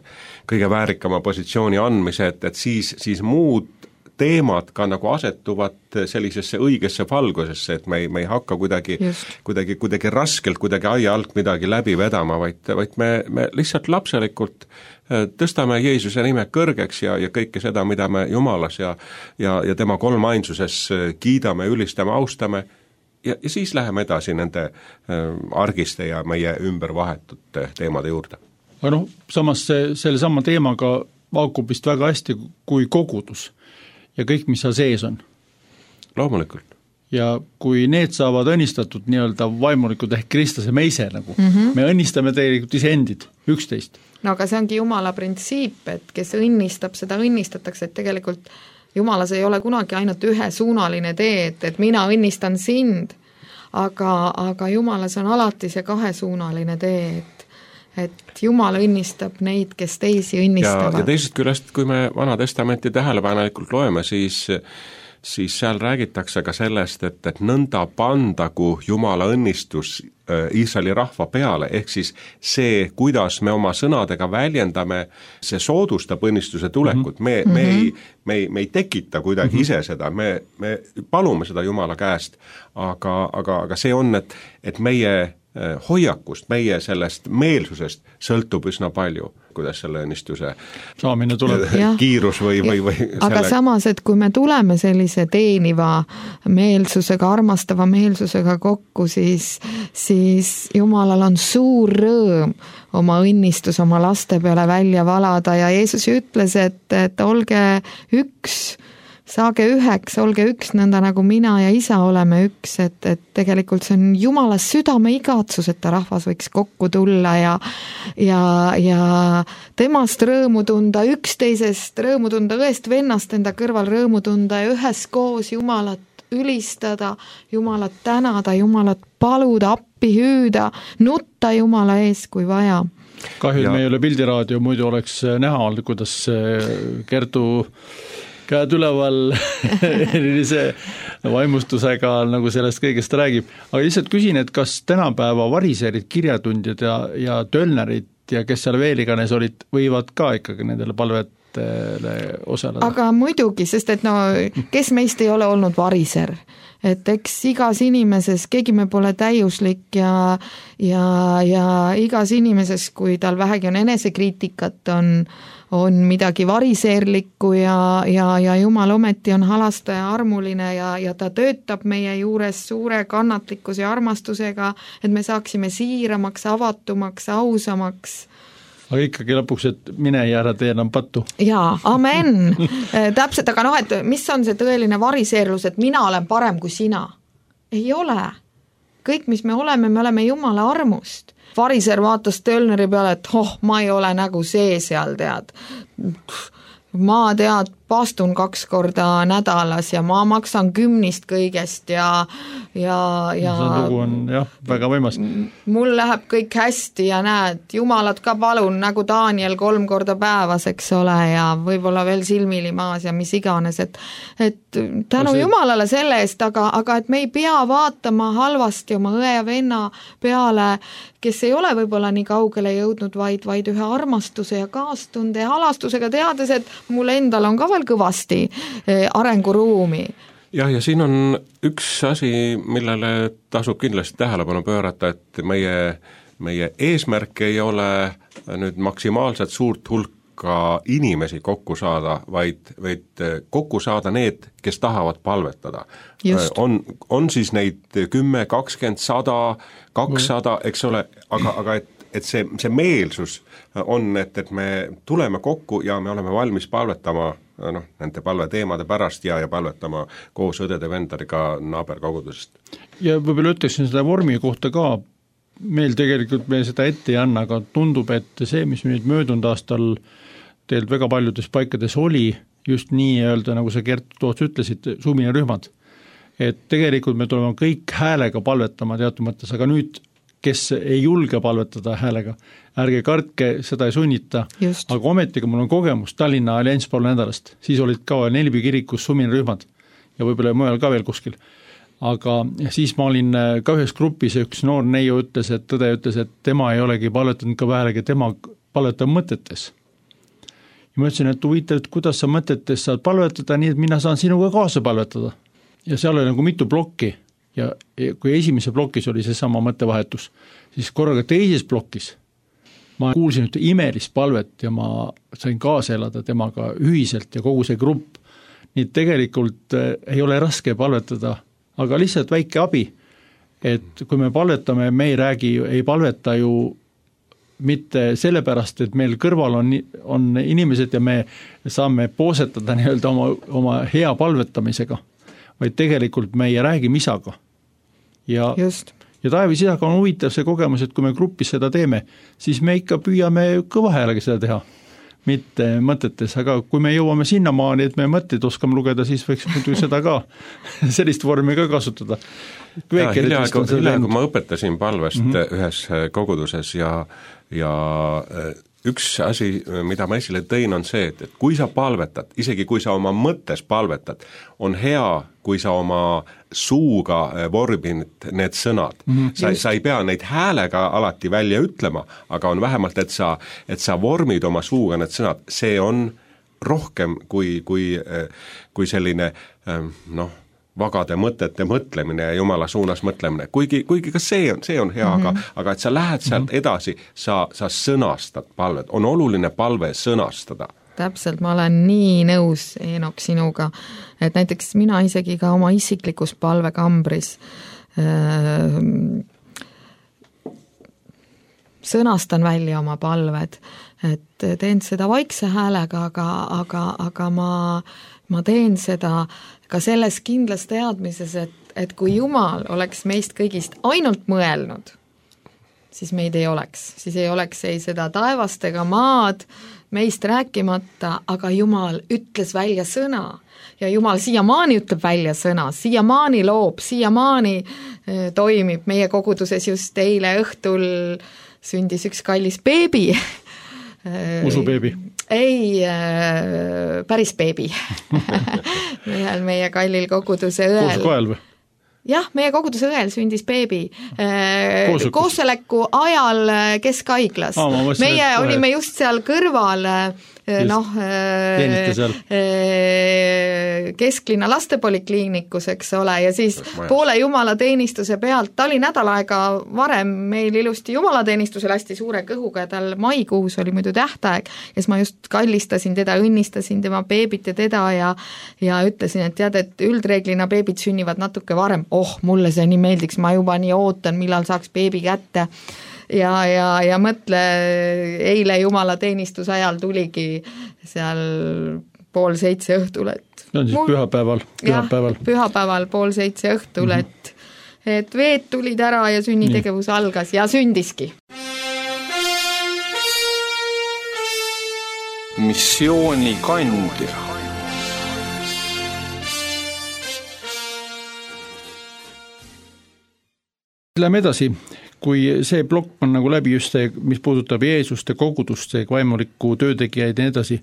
kõige väärikama positsiooni andmise, et, et siis, siis muud teemad ka nagu asetuvad sellisesse õigesse valgusesse, et me ei, me ei hakka kuidagi, kuidagi, kuidagi raskelt, kuidagi aia alt midagi läbi vedama, vaid, vaid me, me lihtsalt lapselikult tõstame Jeesuse nime kõrgeks ja, ja kõike seda, mida me Jumalas ja, ja, ja tema kolmainsuses kiidame, ülistame, austame ja, ja siis läheme edasi nende argiste ja meie ümber vahetute teemade juurde. Aga noh, samas see, selle sama teemaga haakub vist väga hästi kui kogudus ja kõik, mis seal sees on. Loomulikult. Ja kui need saavad õnnistatud nii-öelda vaimulikud ehk kristlase meise nagu, mm -hmm. me õnnistame tegelikult iseendid, üksteist. No aga see ongi Jumala printsiip, et kes õnnistab, seda õnnistatakse, et tegelikult Jumalas ei ole kunagi ainult ühesuunaline tee, et, et mina õnnistan sind, aga, aga Jumalas on alati see kahesuunaline tee, et et Jumal õnnistab neid, kes teisi õnnistavad. Ja, ja teisest küljest, kui me Vana Testamenti tähelepanelikult loeme, siis, siis seal räägitakse ka sellest, et, et nõnda pandagu Jumala õnnistus Iisraeli rahva peale, ehk siis see, kuidas me oma sõnadega väljendame, see soodustab õnnistuse tulekut, me, me, ei, me, ei, me ei tekita kuidagi ise seda, me, me palume seda Jumala käest, aga, aga, aga see on, et, et meie hoiakust, meie sellest meelsusest sõltub üsna palju, kuidas selle õnnistuse saamine tuleb. Kiirus või, või, või selle... Aga samas, et kui me tuleme sellise teeniva meelsusega, armastava meelsusega kokku, siis, siis Jumalal on suur rõõm oma õnnistus oma laste peale välja valada ja Jeesus ütles, et, et olge üks, saage üheks, olge üks, nõnda nagu mina ja isa oleme üks, et, et tegelikult see on Jumala südame igatsus, et ta rahvas võiks kokku tulla ja, ja, ja temast rõõmu tunda, üksteisest rõõmu tunda, õest vennast enda kõrval rõõmu tunda ja üheskoos Jumalat ülistada, Jumalat tänada, Jumalat paluda, appi hüüda, nutta Jumala ees, kui vaja. kahju, et Ja- me ei ole pildiraadio, muidu oleks näha olnud, kuidas Kertu käed üleval erilise vaimustusega nagu sellest kõigest räägib. Aga lihtsalt küsin, et kas tänapäeva variserid, kirjatundjad ja, ja tölnerid ja kes seal veel iganes olid, võivad ka ikkagi nendele palvetele osaleda? aga muidugi, sest et no kes meist ei ole olnud variser, et eks igas inimeses, keegi me pole täiuslik ja, ja, ja igas inimeses, kui tal vähegi on enesekriitikat, on, on midagi variseerlikku ja, ja, ja Jumal ometi on halastaja armuline ja, ja ta töötab meie juures suure kannatlikkuse ja armastusega, et me saaksime siiramaks, avatumaks, ausamaks. Aga ikkagi lõpuks, et mine ja ära tee enam pattu. Jaa, amen. Täpselt, aga noh, et mis on see tõeline variseerlus, et mina olen parem kui sina? Ei ole. Kõik, mis me oleme, me oleme Jumala armust. Variser vaatas Tölneri peale, et oh, ma ei ole nagu see seal, tead. Ma tead, pastun kaks korda nädalas ja ma maksan kümnist kõigest ja, ja, ja see lugu on jah, väga võimas. Mul läheb kõik hästi ja näed, Jumalat ka palun, nagu Daniel kolm korda päevas, eks ole, ja võib-olla veel silmili maas ja mis iganes, et, et tänu see... Jumalale selle eest, aga, aga et me ei pea vaatama halvasti oma õe ja venna peale, kes ei ole võib-olla nii kaugele jõudnud, vaid, vaid ühe armastuse ja kaastunde ja halastusega teades, et mul endal on ka veel kõvasti arenguruumi. jah, ja siin on üks asi, millele tasub kindlasti tähelepanu pöörata, et meie, meie eesmärk ei ole nüüd maksimaalselt suurt hulka inimesi kokku saada, vaid, vaid kokku saada need, kes tahavad palvetada. On, on siis neid kümme, kakskümmend, sada, kakssada, eks ole, aga, aga et et see, see meelsus on, et, et me tuleme kokku ja me oleme valmis palvetama noh, nende palveteemade pärast ja, ja palvetama koos õdede-vendadega naaberkogudusest. Ja võib-olla ütleksin seda vormi kohta ka, meil tegelikult me seda ette ei anna, aga tundub, et see, mis nüüd möödunud aastal tegelikult väga paljudes paikades oli, just nii öelda, nagu sa Gert Toots ütlesid, suminarühmad, et tegelikult me tuleme kõik häälega palvetama teatud mõttes, aga nüüd kes ei julge palvetada häälega, ärge kartke, seda ei sunnita, Just. aga ometigi mul on kogemus Tallinna Allianz pool nädalast, siis olid ka Nelbi kirikus suminarühmad ja võib-olla mujal ka veel kuskil. Aga siis ma olin ka ühes grupis ja üks noor neiu ütles, et tõde ütles, et tema ei olegi palvetanud ka häälega, tema palvetab mõtetes. Ja ma ütlesin, et huvitav, et kuidas sa mõtetes saad palvetada nii, et mina saan sinuga kaasa palvetada. Ja seal oli nagu mitu plokki. Ja kui esimese plokis oli see sama mõttevahetus, siis korraga teises plokis ma kuulsin ühte imelist palvet ja ma sain kaasa elada temaga ühiselt ja kogu see grupp. Nii tegelikult ei ole raske palvetada, aga lihtsalt väike abi, et kui me palvetame, me ei räägi, ei palveta ju mitte sellepärast, et meil kõrval on, on inimesed ja me saame poosetada nii-öelda oma, oma hea palvetamisega, vaid tegelikult me ei räägi misaga. Ja, ja taevis isaga on huvitav see kogemus, et kui me grupis seda teeme, siis me ikka püüame kõva häälega seda teha, mitte mõtetes, aga kui me jõuame sinnamaani, et me mõtteid oskame lugeda, siis võiks muidu seda ka, sellist vormi ka kasutada. Ja, hiljaegu, hiljaegu ma õpetasin palvest mm -hmm. ühes koguduses ja, ja üks asi, mida ma esile tõin, on see, et, et kui sa palvetad, isegi kui sa oma mõttes palvetad, on hea, kui sa oma suuga vormid need sõnad. Mm-hmm. Sa, sa ei pea neid häälega alati välja ütlema, aga on vähemalt, et sa, et sa vormid oma suuga need sõnad. See on rohkem kui, kui, kui selline noh, vagade mõtete mõtlemine ja Jumala suunas mõtlemine. Kuigi, kuigi ka see on, see on hea, mm-hmm. aga, aga et sa lähed sealt edasi, sa, sa sõnastad palvet. On oluline palve sõnastada. Täpselt, ma olen nii nõus, Eenok, sinuga, et näiteks mina isegi ka oma isiklikus palvekambris äh, sõnastan välja oma palved, et teen seda vaikse häälega, aga, aga, aga ma, ma teen seda ka selles kindlas teadmises, et, et kui Jumal oleks meist kõigist ainult mõelnud, siis meid ei oleks, siis ei oleks ei seda taevast ega maad, meist rääkimata, aga Jumal ütles välja sõna ja Jumal siiamaani ütleb välja sõna, siiamaani loob, siiamaani toimib meie koguduses just eile õhtul sündis üks kallis beebi. Usubeebi? Ei, päris beebi. ühel meie kallil koguduse õel. Koos koel või? Jah, meie koguduse õel sündis beebi koosoleku ajal Keskaiglas. Aa, mõtlesin, meie et... olime just seal kõrval, noh, kesklinna lastepolikliinikus, eks ole, ja siis poole jumalateenistuse pealt, ta oli nädal aega varem meil ilusti jumalateenistusel hästi suure kõhuga ja tal maikuus oli muidu tähtaeg, kes ma just kallistasin teda, õnnistasin tema beebit ja teda ja, ja ütlesin, et tead, et üldreeglina beebid sünnivad natuke varem, oh, mulle see nii meeldiks, ma juba nii ootan, millal saaks beebi kätte. Ja, ja, ja mõtle, eile jumalateenistuse ajal tuligi seal pool seitse õhtul, et see on siis mul... pühapäeval, pühapäeval. Jah, pühapäeval pool seitse õhtul, mm-hmm. et, et veed tulid ära ja sünnitegevus nii. Algas ja sündiski. Missioonikandja. Läheme edasi, kui see plokk on nagu läbi just see, mis puudutab Jeesuste kogudust, see vaimuliku töötegijaid ja edasi,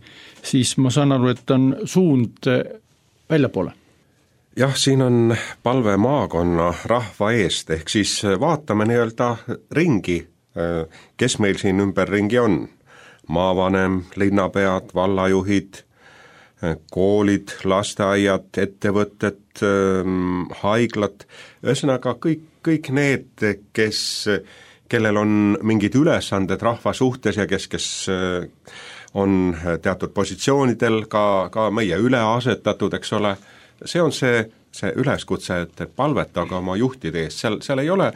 siis ma saan aru, et on suund väljapoole. Jah, siin on palve maakonna rahva eest, ehk siis vaatame nii-öelda ringi, kes meil siin ümberringi on. Maavanem, linnapead, vallajuhid, koolid, lasteaiad, ettevõtted, haiglad, ühesõnaga kõik kõik need, kes, kellel on mingid ülesanded rahva suhtes ja kes, kes on teatud positsioonidel ka, ka meie üleasetatud, eks ole, see on see, see üleskutse, et palvetage oma juhtide eest, seal, seal ei ole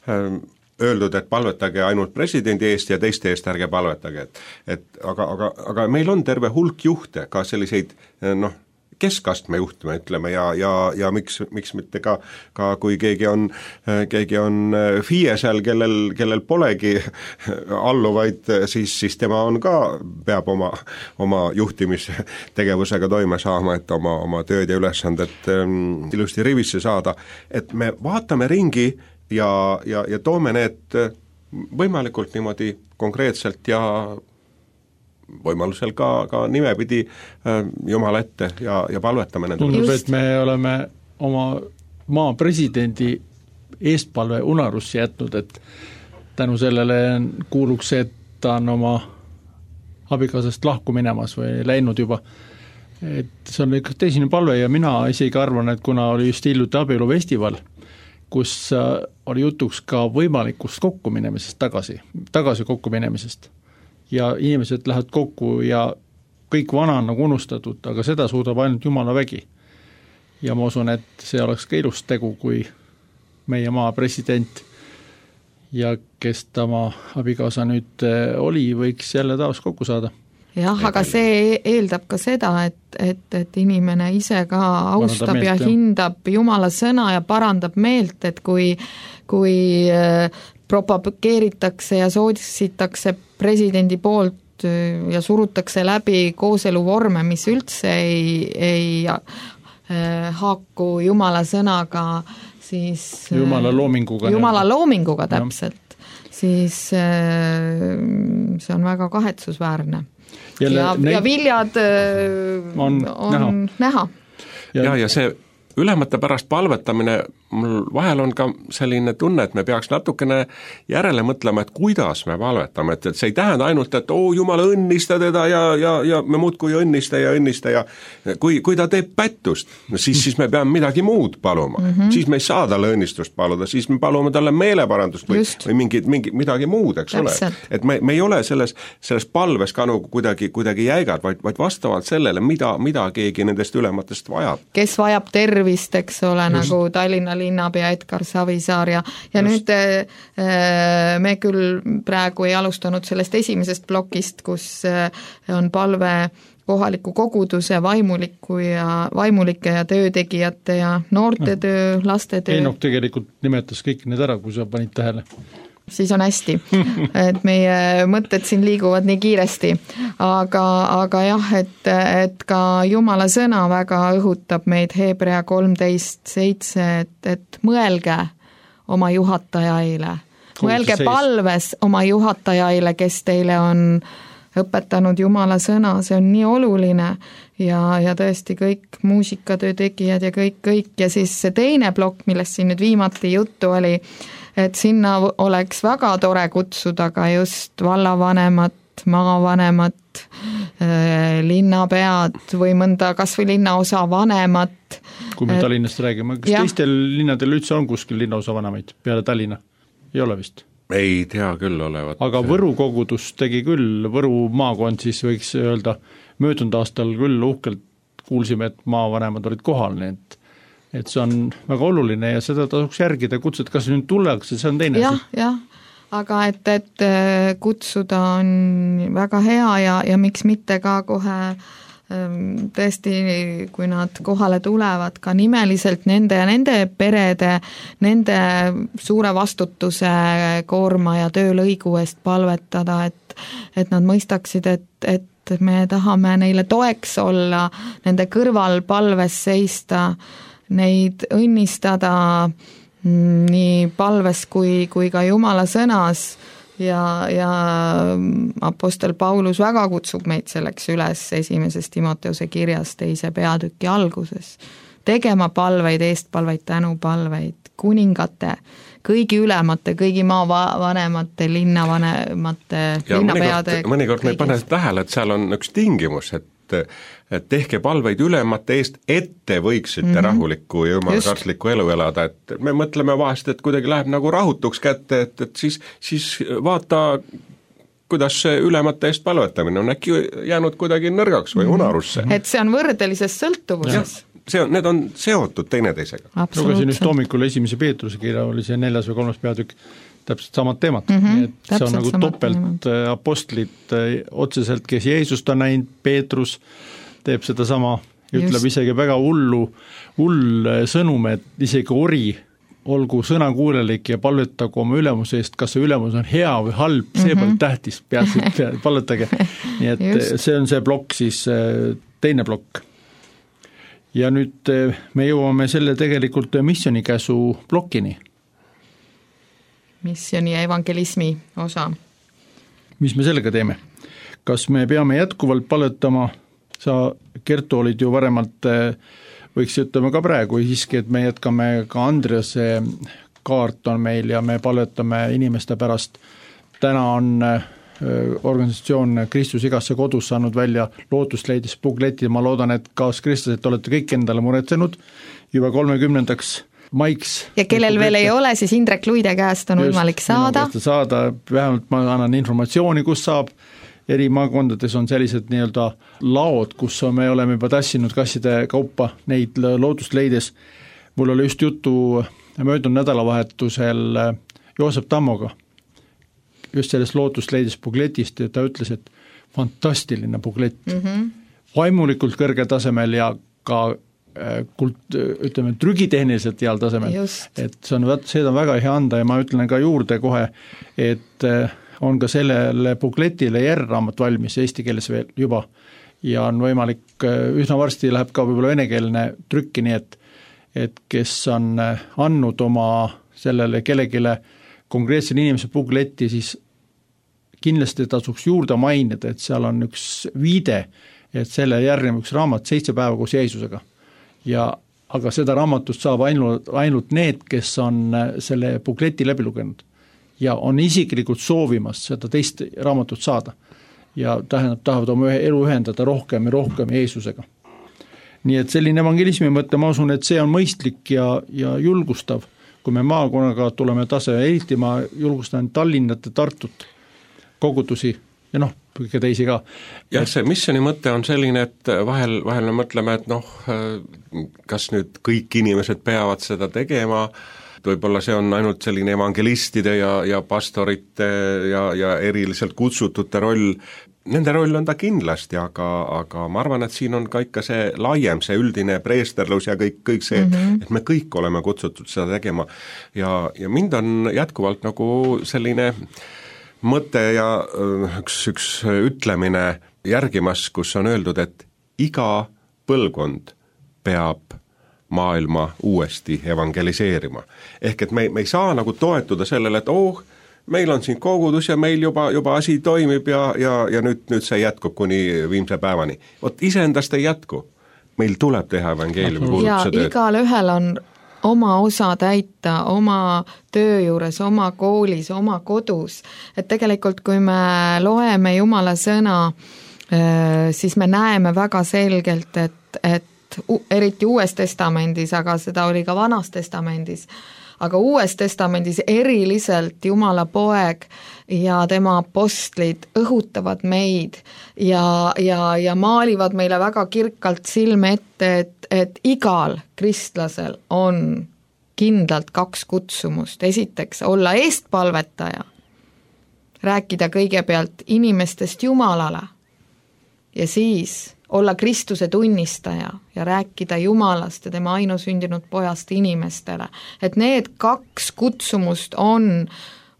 öeldud, et palvetage ainult presidendi eest ja teiste eest ärge palvetage, et, et aga, aga, aga meil on terve hulk juhte, ka selliseid noh, keskastme juhtme, ütleme, ja, ja, ja miks, miks mitte ka, ka kui keegi on, keegi on F I E-sel, kellel, kellel polegi alluvaid, siis, siis tema on ka, peab oma, oma juhtimistegevusega toime saama, et oma, oma tööd ja ülesanded ähm, ilusti rivisse saada, et me vaatame ringi ja, ja, ja toome need võimalikult niimoodi konkreetselt ja võimalusel ka, ka nimepidi äh, Jumala ette ja, ja palvetame nende. Tundub, et me oleme oma maa presidendi eestpalve unarusse jätnud, et tänu sellele kuuluks see, et ta on oma abikaasast lahku minemas või läinud juba. Et see on ikka teisine palve ja mina isegi arvan, et kuna oli just hiljuti abielufestival, kus oli jutuks ka võimalikust kokkuminemisest tagasi, tagasi kokkuminemisest. Ja inimesed lähevad kokku ja kõik vana on nagu unustatud, aga seda suudab ainult Jumala vägi. Ja ma usun, et see oleks ka ilus tegu, kui meie maa president ja kes ta oma abikaasa nüüd oli, võiks jälle taas kokku saada. Jah, aga see eeldab ka seda, et, et, et inimene ise ka austab meelt, ja hindab Jumala sõna ja parandab meelt, et kui, kui propageeritakse ja soodisitakse presidendi poolt ja surutakse läbi kooseluvorme, mis üldse ei, ei haaku Jumala sõnaga, siis Jumala loominguga, Jumala loominguga täpselt, siis see on väga kahetsusväärne. Jälle, ja, neid... ja viljad on, on näha, näha. Ja, ja see ülemate pärast palvetamine, mul vahel on ka selline tunne, et me peaks natukene järele mõtlema, et kuidas me palvetame, et, et see ei tähenda ainult, et oo, Jumal õnnista teda ja, ja, ja me muudkui õnnista ja õnnista ja kui, kui ta teeb pättust, siis, siis me peame midagi muud paluma, mm -hmm. siis me ei saa talle õnnistust paluda, siis me palume talle meeleparandust või, või mingi, mingi, midagi muud, eks Täpselt. Ole. Et me, me ei ole selles, selles palves ka nagu kuidagi, kuidagi jäigad, vaid, vaid vastavalt sellele, mida, mida keegi nendest ülematest vajab. Kes vajab tervist, eks ole, Just. nagu Tallinna linnapea Edgar Savisaar ja, ja Just. nüüd äh, me küll praegu ei alustanud sellest esimesest plokist, kus äh, on palve kohaliku koguduse vaimuliku ja vaimulike ja töötegijate ja noortetöö, lastetöö. Eenok tegelikult nimetas kõik need ära, kui sa panid tähele. Siis on hästi, et meie mõtted siin liiguvad nii kiiresti, aga, aga jah, et, et ka Jumala sõna väga õhutab meid Hebrea kolmteist seitse, et, et mõelge oma juhatajaile, mõelge palves oma juhatajaile, kes teile on õpetanud Jumala sõna, see on nii oluline ja, ja tõesti kõik muusikatöö tegijad ja kõik, kõik ja siis see teine plokk, millest siin nüüd viimati juttu oli, et sinna oleks väga tore kutsuda ka just vallavanemat, maavanemat, linnapead või mõnda kas või linnaosa vanemat. Kui me et, Tallinnast räägime, kas ja. teistel linnadel üldse on kuskil linnaosa vanemaid peale Tallinna? Ei ole vist? Ei tea küll olevat. Aga Võru kogudus tegi küll, Võru maakond siis võiks öelda, möödunud aastal küll uhkelt kuulsime, et maavanemad olid kohal, nii et, et see on väga oluline ja seda tasuks järgida, kutsuda, kas nüüd tullakse, see on teine jah, asi. Jah, aga et, et kutsuda on väga hea ja, ja miks mitte ka kohe tõesti, kui nad kohale tulevad ka nimeliselt nende ja nende perede, nende suure vastutuse koorma ja töölõigu eest palvetada, et, et nad mõistaksid, et, et me tahame neile toeks olla, nende kõrval palves seista, neid õnnistada nii palves kui, kui ka Jumala sõnas ja, ja apostel Paulus väga kutsub meid selleks üles esimeses Timoteuse kirjas teise peatüki alguses, tegema palveid, eestpalveid, tänupalveid, kuningate, kõigi ülemate, kõigi maavanemate, linnavanemate, linnapeade. mõnikord, mõnikord me ei pane tähele, et seal on üks tingimus, et et tehke palveid ülemate eest, et te võiksite mm-hmm. rahulikku ja jumalakartlikku elu elada, et me mõtleme vahest, et kuidagi läheb nagu rahutuks kätte, et, et siis, siis vaata, kuidas see ülemate eest palvetamine on äkki jäänud kuidagi nõrgaks või unarusse. Et see on võrdelises sõltuvuses. See on, need on seotud teineteisega. Lugesin just hommikul esimese Peetruse kirja, oli see neljas või kolmas peatükk, täpselt samad teemad, mm-hmm, nii et see on nagu topelt apostlit otseselt, kes Jeesust on näinud, Peetrus teeb seda sama, ütleb just. Isegi väga hullu, hull sõnum, et isegi ori olgu sõnakuulelik ja palvetagu oma ülemuse eest, kas see ülemus on hea või halb, see mm-hmm. pole tähtis, peatselt palvetage. Nii et just. See on see plokk siis, teine plokk. Ja nüüd me jõuame selle tegelikult missionikäsu plokkini. Missioni ja evangelismi osa. Mis me sellega teeme? Kas me peame jätkuvalt palvetama, sa Kertu olid ju varemalt, võiks ütlema ka praegu, siiski, et me jätkame ka Andrease kaart on meil ja me palvetame inimeste pärast. Täna on organisatsioon Kristus igasse kodus saanud välja lootusleidis bukleti, ma loodan, et kaas Kristus, et olete kõik endale muretsenud juba kolmekümnendaks maiks. Ja kellel veel ei ole, siis Indrek Luide käest on võimalik saada. saada. Vähemalt ma annan informatsiooni, kus saab. Eri maakondades on sellised nii-öelda laod, kus me oleme juba tassinud kasside kaupa neid lootusleides. Mul oli just juttu möödunud nädalavahetusel Joosep Tammoga just sellest lootusleides bukletist ja ta ütles, et fantastiline buklett. Mm-hmm. Vaimulikult kõrgel tasemel ja ka kult, ütleme, trügitehniliselt heal tasemel, just. Et see on, seda on väga hea anda ja ma ütlen ka juurde kohe, et on ka sellele bukletile järgraamat valmis eesti keeles veel juba ja on võimalik, üsna varsti läheb ka võib-olla venekeelne trükki, nii et, et kes on andnud oma sellele kellegile konkreetsele inimese bukletti, siis kindlasti tasuks juurde mainida, et seal on üks viide, et selle järgneb üks raamat seitse päeva koos Jeesusega. Ja, aga seda raamatust saab ainult, ainult need, kes on selle bukleti läbi lugenud ja on isiklikult soovimas seda teist raamatut saada ja tähendab, tahavad oma elu ühendada rohkem ja rohkem Jeesusega. Nii et selline evangelismi mõte, ma usun, et see on mõistlik ja, ja julgustav, kui me maakonnaga tuleme tase, eriti ma julgustan Tallinnat ja Tartut kogudusi ja noh, kõige teisi ka. Jah, see missioni mõte on selline, et vahel, vahel me mõtleme, et noh, kas nüüd kõik inimesed peavad seda tegema, võib-olla see on ainult selline evangelistide ja, ja pastorite ja, ja eriliselt kutsutute roll. Nende roll on ta kindlasti, aga, aga ma arvan, et siin on ka ikka see laiem, see üldine preesterlus ja kõik, kõik see, mm-hmm. et me kõik oleme kutsutud seda tegema. Ja, ja mind on jätkuvalt nagu selline mõte ja üks, üks ütlemine järgimas, kus on öeldud, et iga põlvkond peab maailma uuesti evangeliseerima. Ehk et me, me ei saa nagu toetuda sellele, et oh, meil on siin kogudus ja meil juba, juba asi toimib ja, ja, ja nüüd, nüüd see jätkub kuni viimse päevani. Vot iseendast ei jätku. Meil tuleb teha evangeeliumi kuulutuse tööd. Ja igal ühel on oma osa täita, oma töö juures, oma koolis, oma kodus. Et tegelikult, kui me loeme Jumala sõna, siis me näeme väga selgelt, et, et eriti Uues testamendis, aga seda oli ka Vanas testamendis, aga Uues testamendis eriliselt Jumala poeg ja tema apostlid õhutavad meid ja, ja, ja maalivad meile väga kirkalt silme ette, et, et igal kristlasel on kindlalt kaks kutsumust. Esiteks olla eestpalvetaja, rääkida kõigepealt inimestest Jumalale ja siis olla Kristuse tunnistaja ja rääkida Jumalast ja tema ainusündinud pojast inimestele. Et need kaks kutsumust on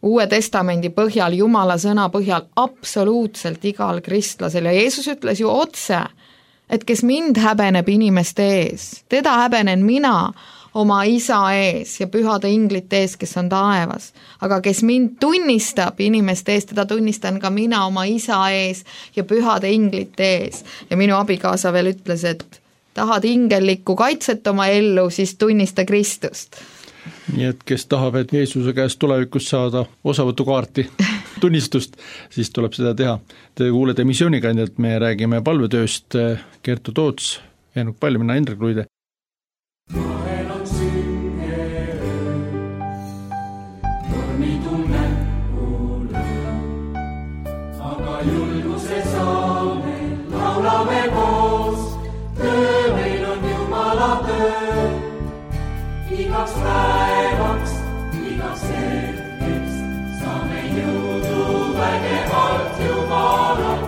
Uue testamendi põhjal, Jumala sõna põhjal absoluutselt igal kristlasel ja Jeesus ütles ju otse, et kes mind häbeneb inimeste ees, teda häbenen mina oma isa ees ja pühade inglite ees, kes on taevas. Aga kes mind tunnistab inimeste ees, teda tunnistan ka mina oma isa ees ja pühade inglite ees. Ja minu abikaasa veel ütles, et tahad ingellikku kaitset oma ellu, siis tunnista Kristust. Nii et kes tahab, et Jeesuse käest tulevikus saada osavõtukaarti tunnistust, siis tuleb seda teha. Te kuulete missioonikandidat, me räägime palvetööst, Kertu Toots, Eenuk Pall, mina Indrek Luide. Vahel on sünge öö, tormi tunnen kuule, aga julguse saame, laulame koos, töö meil on Jumala töö. Igaks päevaks, igaks hetkeks, saame jõudu vägevalt Jumalalt.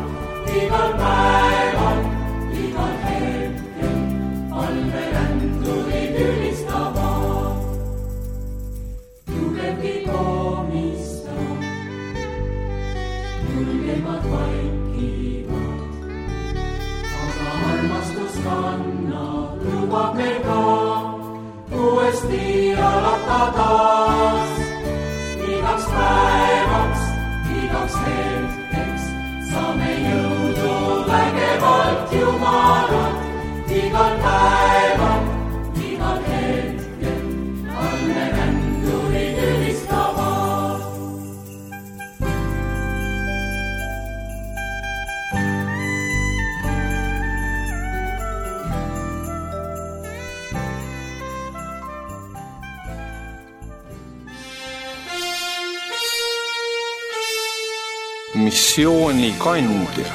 Igal päeval, igal hetkel, palve rändurid ülistavad. Tugevgi komistab, julgemad vaikivad, aga armastus kannab, lubab meil ka uuesti alata taas. Igaks päevaks, igaks hetkeks, saame jõudu vägevalt Jumalalt. Igal päeval, igal hetkel, alle rändurid ülistavad. Missioonikandja.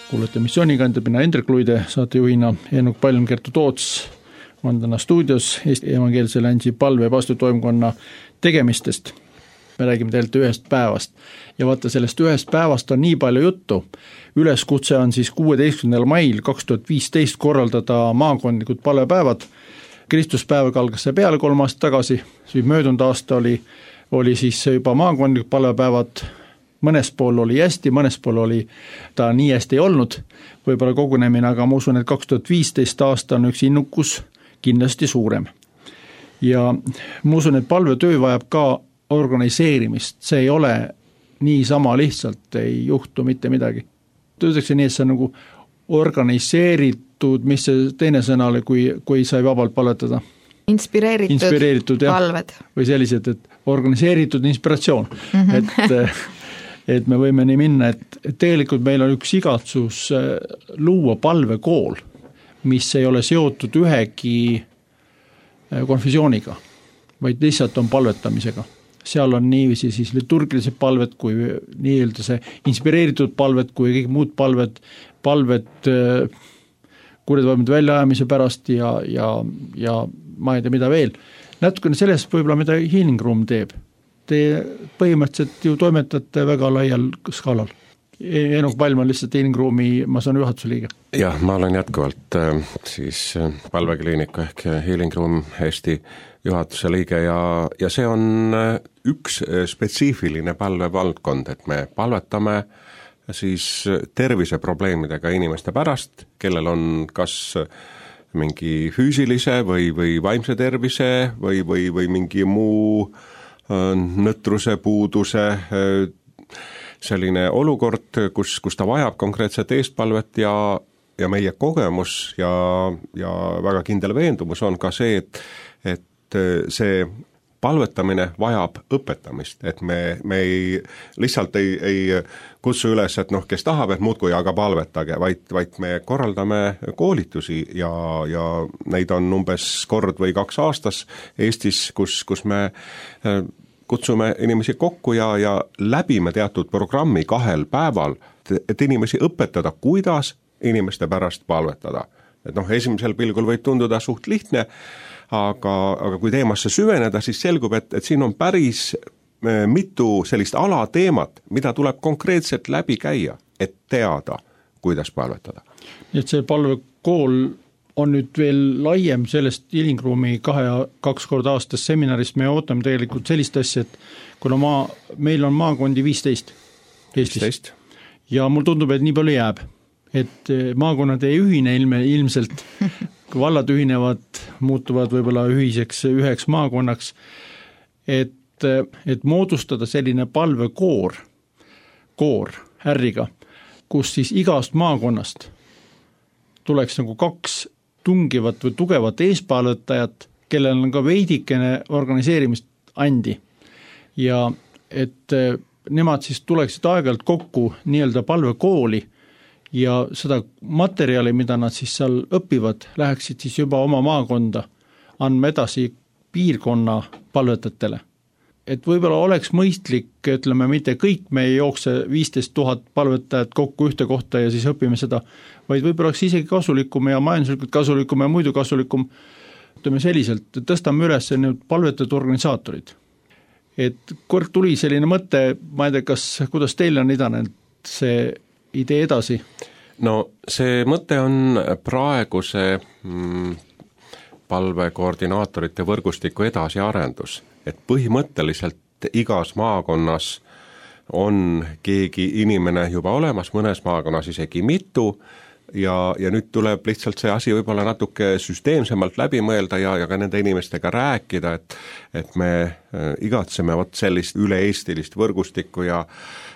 Kuulete missioonikandidat, mina Indrek Luide, saatejuhina Eenuk Pall, Kertu Toots on täna stuudios Eesti Evangeelse Alliansi palve- ja paastitoimkonna tegemistest. Me räägime teilt ühest päevast ja vaata, sellest ühest päevast on nii palju juttu. Üleskutse on siis kuueteistkümnendal mail kaks tuhat viisteist korraldada maakondlikud palvepäevad. Kristuspäevaga algas see peale kolm aastat tagasi, siis möödunud aasta oli, oli siis juba maakondlikud palvepäevad, mõnes pool oli hästi, mõnes pool oli ta nii hästi ei olnud, võib-olla kogunemine, aga ma usun, et kaks tuhat viisteist aasta on üks innukus kindlasti suurem. Ja ma usun, et palvetöö vajab ka organiseerimist, see ei ole niisama lihtsalt, ei juhtu mitte midagi. Töötakse nii, et see on nagu organiseeritud, mis see teine sõna oli, kui, kui sai vabalt palvetada? Inspireeritud, Inspireeritud palved. Või sellised, et organiseeritud inspiratsioon. Mm-hmm. Et, et me võime nii minna, et, et tegelikult meil on üks igatsus luua palvekool, mis ei ole seotud ühegi konfessiooniga, vaid lihtsalt on palvetamisega. Seal on niiviisi siis liturgilised palved, kui nii-öelda see inspireeritud palved, kui kõik muud palved, palved kurjadvaimide väljaajamise pärast ja, ja, ja ma ei tea, mida veel. Natukene sellest võib-olla, mida Healing Room teeb. Te põhimõtteliselt ju toimetate väga laial skaalal. Eenuk Pall on lihtsalt Healing Roomi, ma saan juhatuse liige. Jah, ma olen jätkuvalt siis palvekliiniku ehk Healing Room Eesti juhatuse liige ja, ja see on üks spetsiifiline palvevaldkond, et me palvetame siis terviseprobleemidega inimeste pärast, kellel on kas mingi füüsilise või, või vaimse tervise või, või, või mingi muu nõtruse, puuduse, selline olukord, kus, kus ta vajab konkreetset eestpalvet ja, ja meie kogemus ja, ja väga kindel veendumus on ka see, et, et see palvetamine vajab õpetamist, et me, me ei, lihtsalt ei, ei kutsu üles, et noh, kes tahab, et muudkui aga palvetage, vaid, vaid me korraldame koolitusi ja, ja neid on umbes kord või kaks aastas Eestis, kus, kus me kutsume inimesi kokku ja, ja läbime teatud programmi kahel päeval, et inimesi õpetada, kuidas inimeste pärast palvetada. Et noh, esimesel pilgul võib tunduda suht lihtne, aga, aga kui teemasse süveneda, siis selgub, et, et siin on päris mitu sellist alateemat, mida tuleb konkreetselt läbi käia, et teada, kuidas palvetada. Nii et see palvekool on nüüd veel laiem sellest Ilingruumi kahe, kaks korda aastas seminarist, me ootame tegelikult sellist asja, et kuna maa, meil on maakondi viisteist Eestis viisteist. Ja mul tundub, et nii palju jääb, et maakonnad ei ühine ilme, ilmselt, kui vallad ühinevad, muutuvad võib-olla ühiseks üheks maakonnaks, et, et moodustada selline palvekoor, koor ärriga, kus siis igast maakonnast tuleks nagu kaks tungivat või tugevat eespalvetajat, kellel on ka veidikene organiseerimist andi ja et nemad siis tuleksid aeg-ajalt kokku nii-öelda palvekooli ja seda materjali, mida nad siis seal õpivad, läheksid siis juba oma maakonda andma edasi piirkonna palvetajatele. Et võib-olla oleks mõistlik, ütleme, mitte kõik me ei jookse viisteist tuhat palvetajat kokku ühte kohta ja siis õpime seda, vaid võib-olla oleks isegi kasulikum ja majanduslikult kasulikum ja muidu kasulikum, ütleme selliselt, tõstame üles nüüd palvetajate organisaatorid. Et kord tuli selline mõte, ma ei tea, kas, kuidas teil on idanenud see idee edasi? No see mõte on praeguse mm, palvekoordinaatorite võrgustiku edasiarendus, et põhimõtteliselt igas maakonnas on keegi inimene juba olemas, mõnes maakonnas isegi mitu ja, ja nüüd tuleb lihtsalt see asi võib-olla natuke süsteemsemalt läbi mõelda ja, ja ka nende inimestega rääkida, et, et me igatseme vot sellist üle-eestilist võrgustikku ja,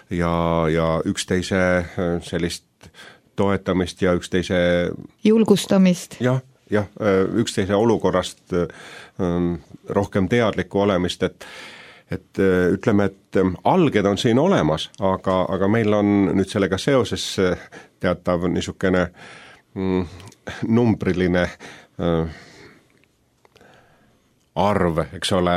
ja, ja üksteise sellist toetamist ja üksteise julgustamist. Jah, jah, üksteise olukorrast rohkem teadlikku olemist, et, et ütleme, et alged on siin olemas, aga, aga meil on nüüd sellega seoses teatav niisugune mm, numbriline äh, arv, eks ole,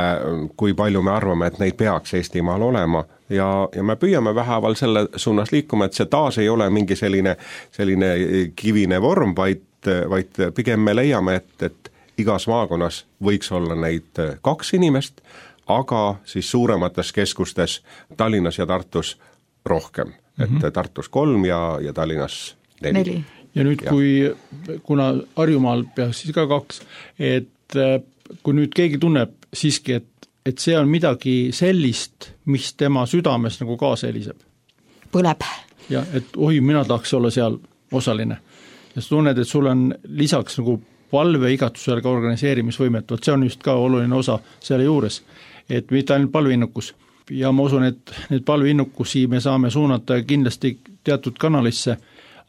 kui palju me arvame, et neid peaks Eestimaal olema ja, ja me püüame vähäval selle suunas liikuma, et see taas ei ole mingi selline, selline kivine vorm, vaid, vaid pigem me leiame, et, et igas maakonnas võiks olla neid kaks inimest, aga siis suuremates keskustes Tallinnas ja Tartus rohkem. Mm-hmm. Et Tartus kolm ja, ja Tallinnas neli. neli. Ja nüüd, ja. kui, kuna Harjumaal peaks siis ka kaks, et kui nüüd keegi tunneb siiski, et, et see on midagi sellist, mis tema südames nagu kaasa heliseb. Põleb. Ja, et oi, mina tahaks olla seal osaline. Ja sa tunned, et sul on lisaks nagu palve igatusele ka organiseerimisvõimet, vot see on just ka oluline osa selle juures, et mitte ainult palveinnukus. Ja ma usun, et need palveinnukusi me saame suunata kindlasti teatud kanalisse,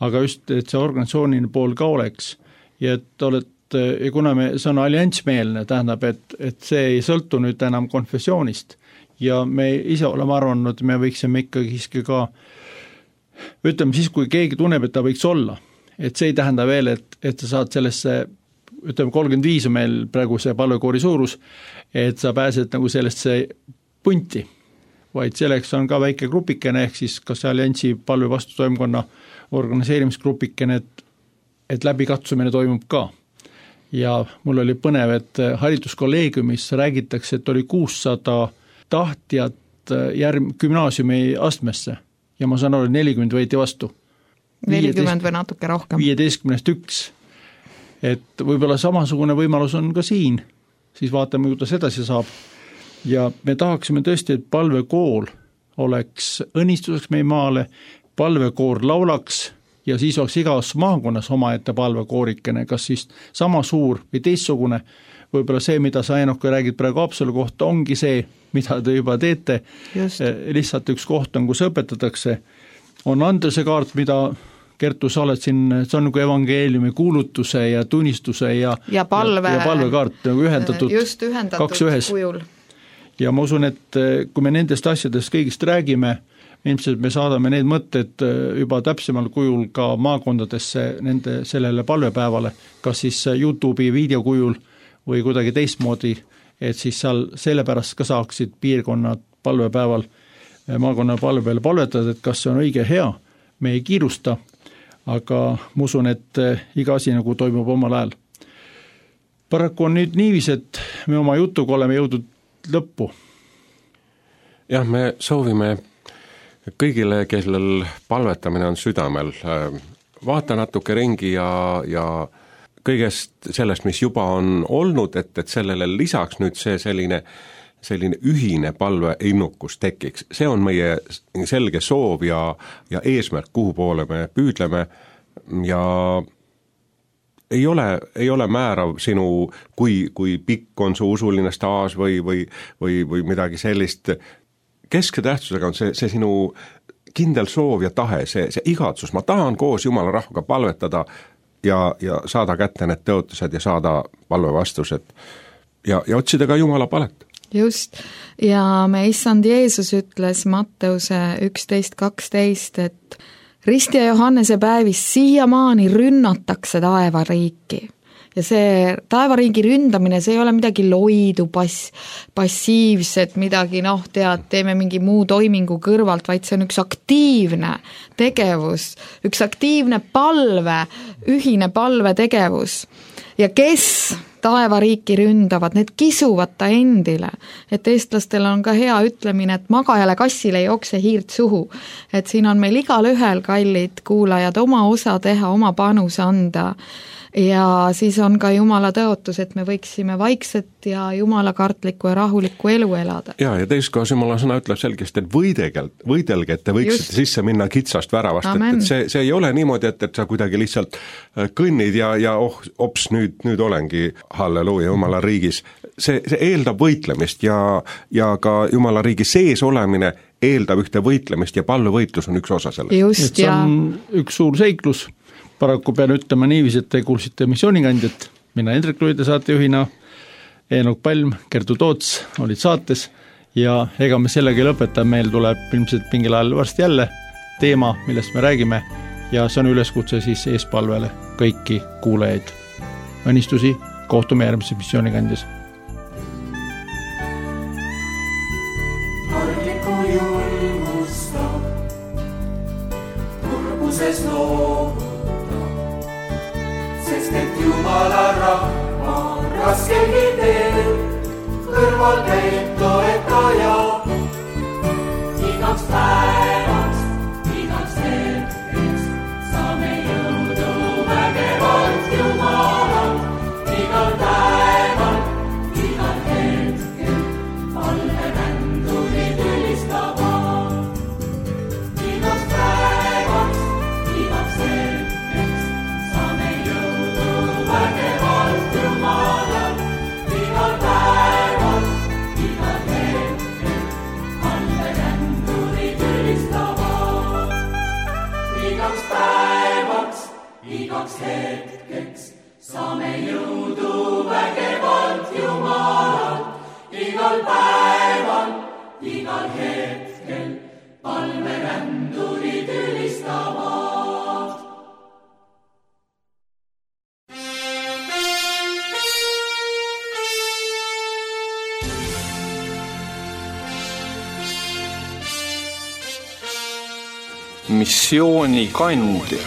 aga just, et see organisatsiooniline pool ka oleks. Ja et oled, ja kuna me, see on alliansmeelne, tähendab, et, et see ei sõltu nüüd enam konfessioonist ja me ise oleme arvanud, me võiksime ikkagi ka, ütleme siis, kui keegi tunneb, et ta võiks olla, et see ei tähenda veel, et, et sa saad sellesse ütleme, kolmkümmend viis on meil praegu see palvekoori suurus, et sa pääsed nagu sellesse punti, vaid selleks on ka väike grupikene, ehk siis kas alliansi palve vastutoimkonna organiseerimisgrupikene, et, et läbikatsumine toimub ka. Ja mul oli põnev, et hariduskolleegiumis räägitakse, et oli kuussada tahtjat järg, gümnaasiumi astmesse ja ma saan aru, nelikümmend võeti vastu. nelikümmend või natuke rohkem. viieteistkümnest üks. Et võib-olla samasugune võimalus on ka siin, siis vaatame, kuidas edasi saab. Ja me tahaksime tõesti, et palvekool oleks õnnistuseks meie maale, palvekoor laulaks ja siis oleks igas maakonnas omaette palvekoorikene, kas siis sama suur või teistsugune, võib-olla see, mida sa Enoka räägid praegu Haapsalu kohta, ongi see, mida te juba teete, Just. lihtsalt üks koht on, kus õpetatakse, on Andrese kaart, mida Kertu, sa oled siin, see on nagu evangeeliumi kuulutuse ja tunnistuse ja, ja, palve, ja, ja palvekaart nagu ühendatud, just ühendatud kaks ühes. Kujul. Ja ma usun, et kui me nendest asjadest kõigist räägime, ilmselt me saadame need mõtted juba täpsemal kujul ka maakondadesse nende sellele palvepäevale, kas siis YouTube'i videokujul või kuidagi teistmoodi, et siis seal sellepärast ka saaksid piirkonnad palvepäeval, maakonna palvepäeval palvetada, et kas see on õige hea, me ei kiirusta, aga ma usun, et iga asi nagu toimub omal ajal. Paraku on nüüd niivis, et me oma jutuga oleme jõudnud lõppu. Jah, me soovime kõigile, kellel palvetamine on südamel, vaata natuke ringi ja, ja kõigest sellest, mis juba on olnud, et, et sellele lisaks nüüd see selline, selline ühine palveinnukus tekiks. See on meie selge soov ja, ja eesmärk, kuhu poole me püüdleme ja ei ole, ei ole määrav sinu, kui, kui pikk on su usuline staaž või, või, või, või midagi sellist. Keske tähtsusega on see, see sinu kindel soov ja tahe, see, see igatsus, ma tahan koos Jumala rahvaga palvetada ja, ja saada kätte need tõotused ja saada palvevastused ja, ja otsida ka Jumala palet. Just, ja me issand Jeesus ütles Matteuse üksteist kaksteist, et Risti ja Johannese päevis siiamaani rünnatakse taevariiki. Ja see taevariigi ründamine, see ei ole midagi loidu, pass, passiivset, midagi, noh, tead, teeme mingi muu toimingu kõrvalt, vaid see on üks aktiivne tegevus, üks aktiivne palve, ühine palvetegevus. Ja kes taevariiki ründavad, need kisuvad ta endile, et eestlastel on ka hea ütlemine, et magajale kassile jookse hiirt suhu, et siin on meil igal ühel, kallid kuulajad, oma osa teha, oma panus anda ja siis on ka Jumala tõotus, et me võiksime vaikset ja jumalakartlikku ja rahulikku elu elada. Ja, ja teist kohas Jumala sõna ütleb selgesti, et võidelge, võidelge, et te võiksite Just. Sisse minna kitsast väravast, et, et see, see ei ole niimoodi, et, et sa kuidagi lihtsalt kõnnid ja, ja oh, ops, nüüd, nüüd olengi halleluuja Jumala riigis. See, see eeldab võitlemist ja, ja ka Jumala riigi sees olemine eeldab ühte võitlemist ja palvevõitlus on üks osa sellest. Just, see on ja... üks suur seiklus. Paraku pean ütlema niiviisi, et te kuulsite missioonikandjat, mina Hendrik Luide saatejuhina, Eenok Palm, Kertu Toots olid saates ja ega me sellega ei lõpeta, meil tuleb ilmselt mingil ajal varsti jälle teema, millest me räägime ja see on üleskutse siis eespalvele kõiki kuulajaid. Õnnistusi, kohtume järgmises missioonikandjas. Argliku julgusta, kurbuses loovuta, sest et Jumala rahva on raskelgi teel, kõrval käib toetaja. Igaks päevaks, igaks hetkeks, saame jõudu vägevalt Jumalalt. Igal päeval, igal hetkel, palverändurid ülistavad. Igaks päevaks, igaks hetkeks, saame jõudu vägevalt Jumalalt. Igal päeval, igal hetkel, palverändurid ülistavad. Igaks päevaks, igaks hetkeks, saame jõudu vägevalt Jumalalt. Igal päeval, igal hetkel, palverändurid ülistavad. Missioonikandja.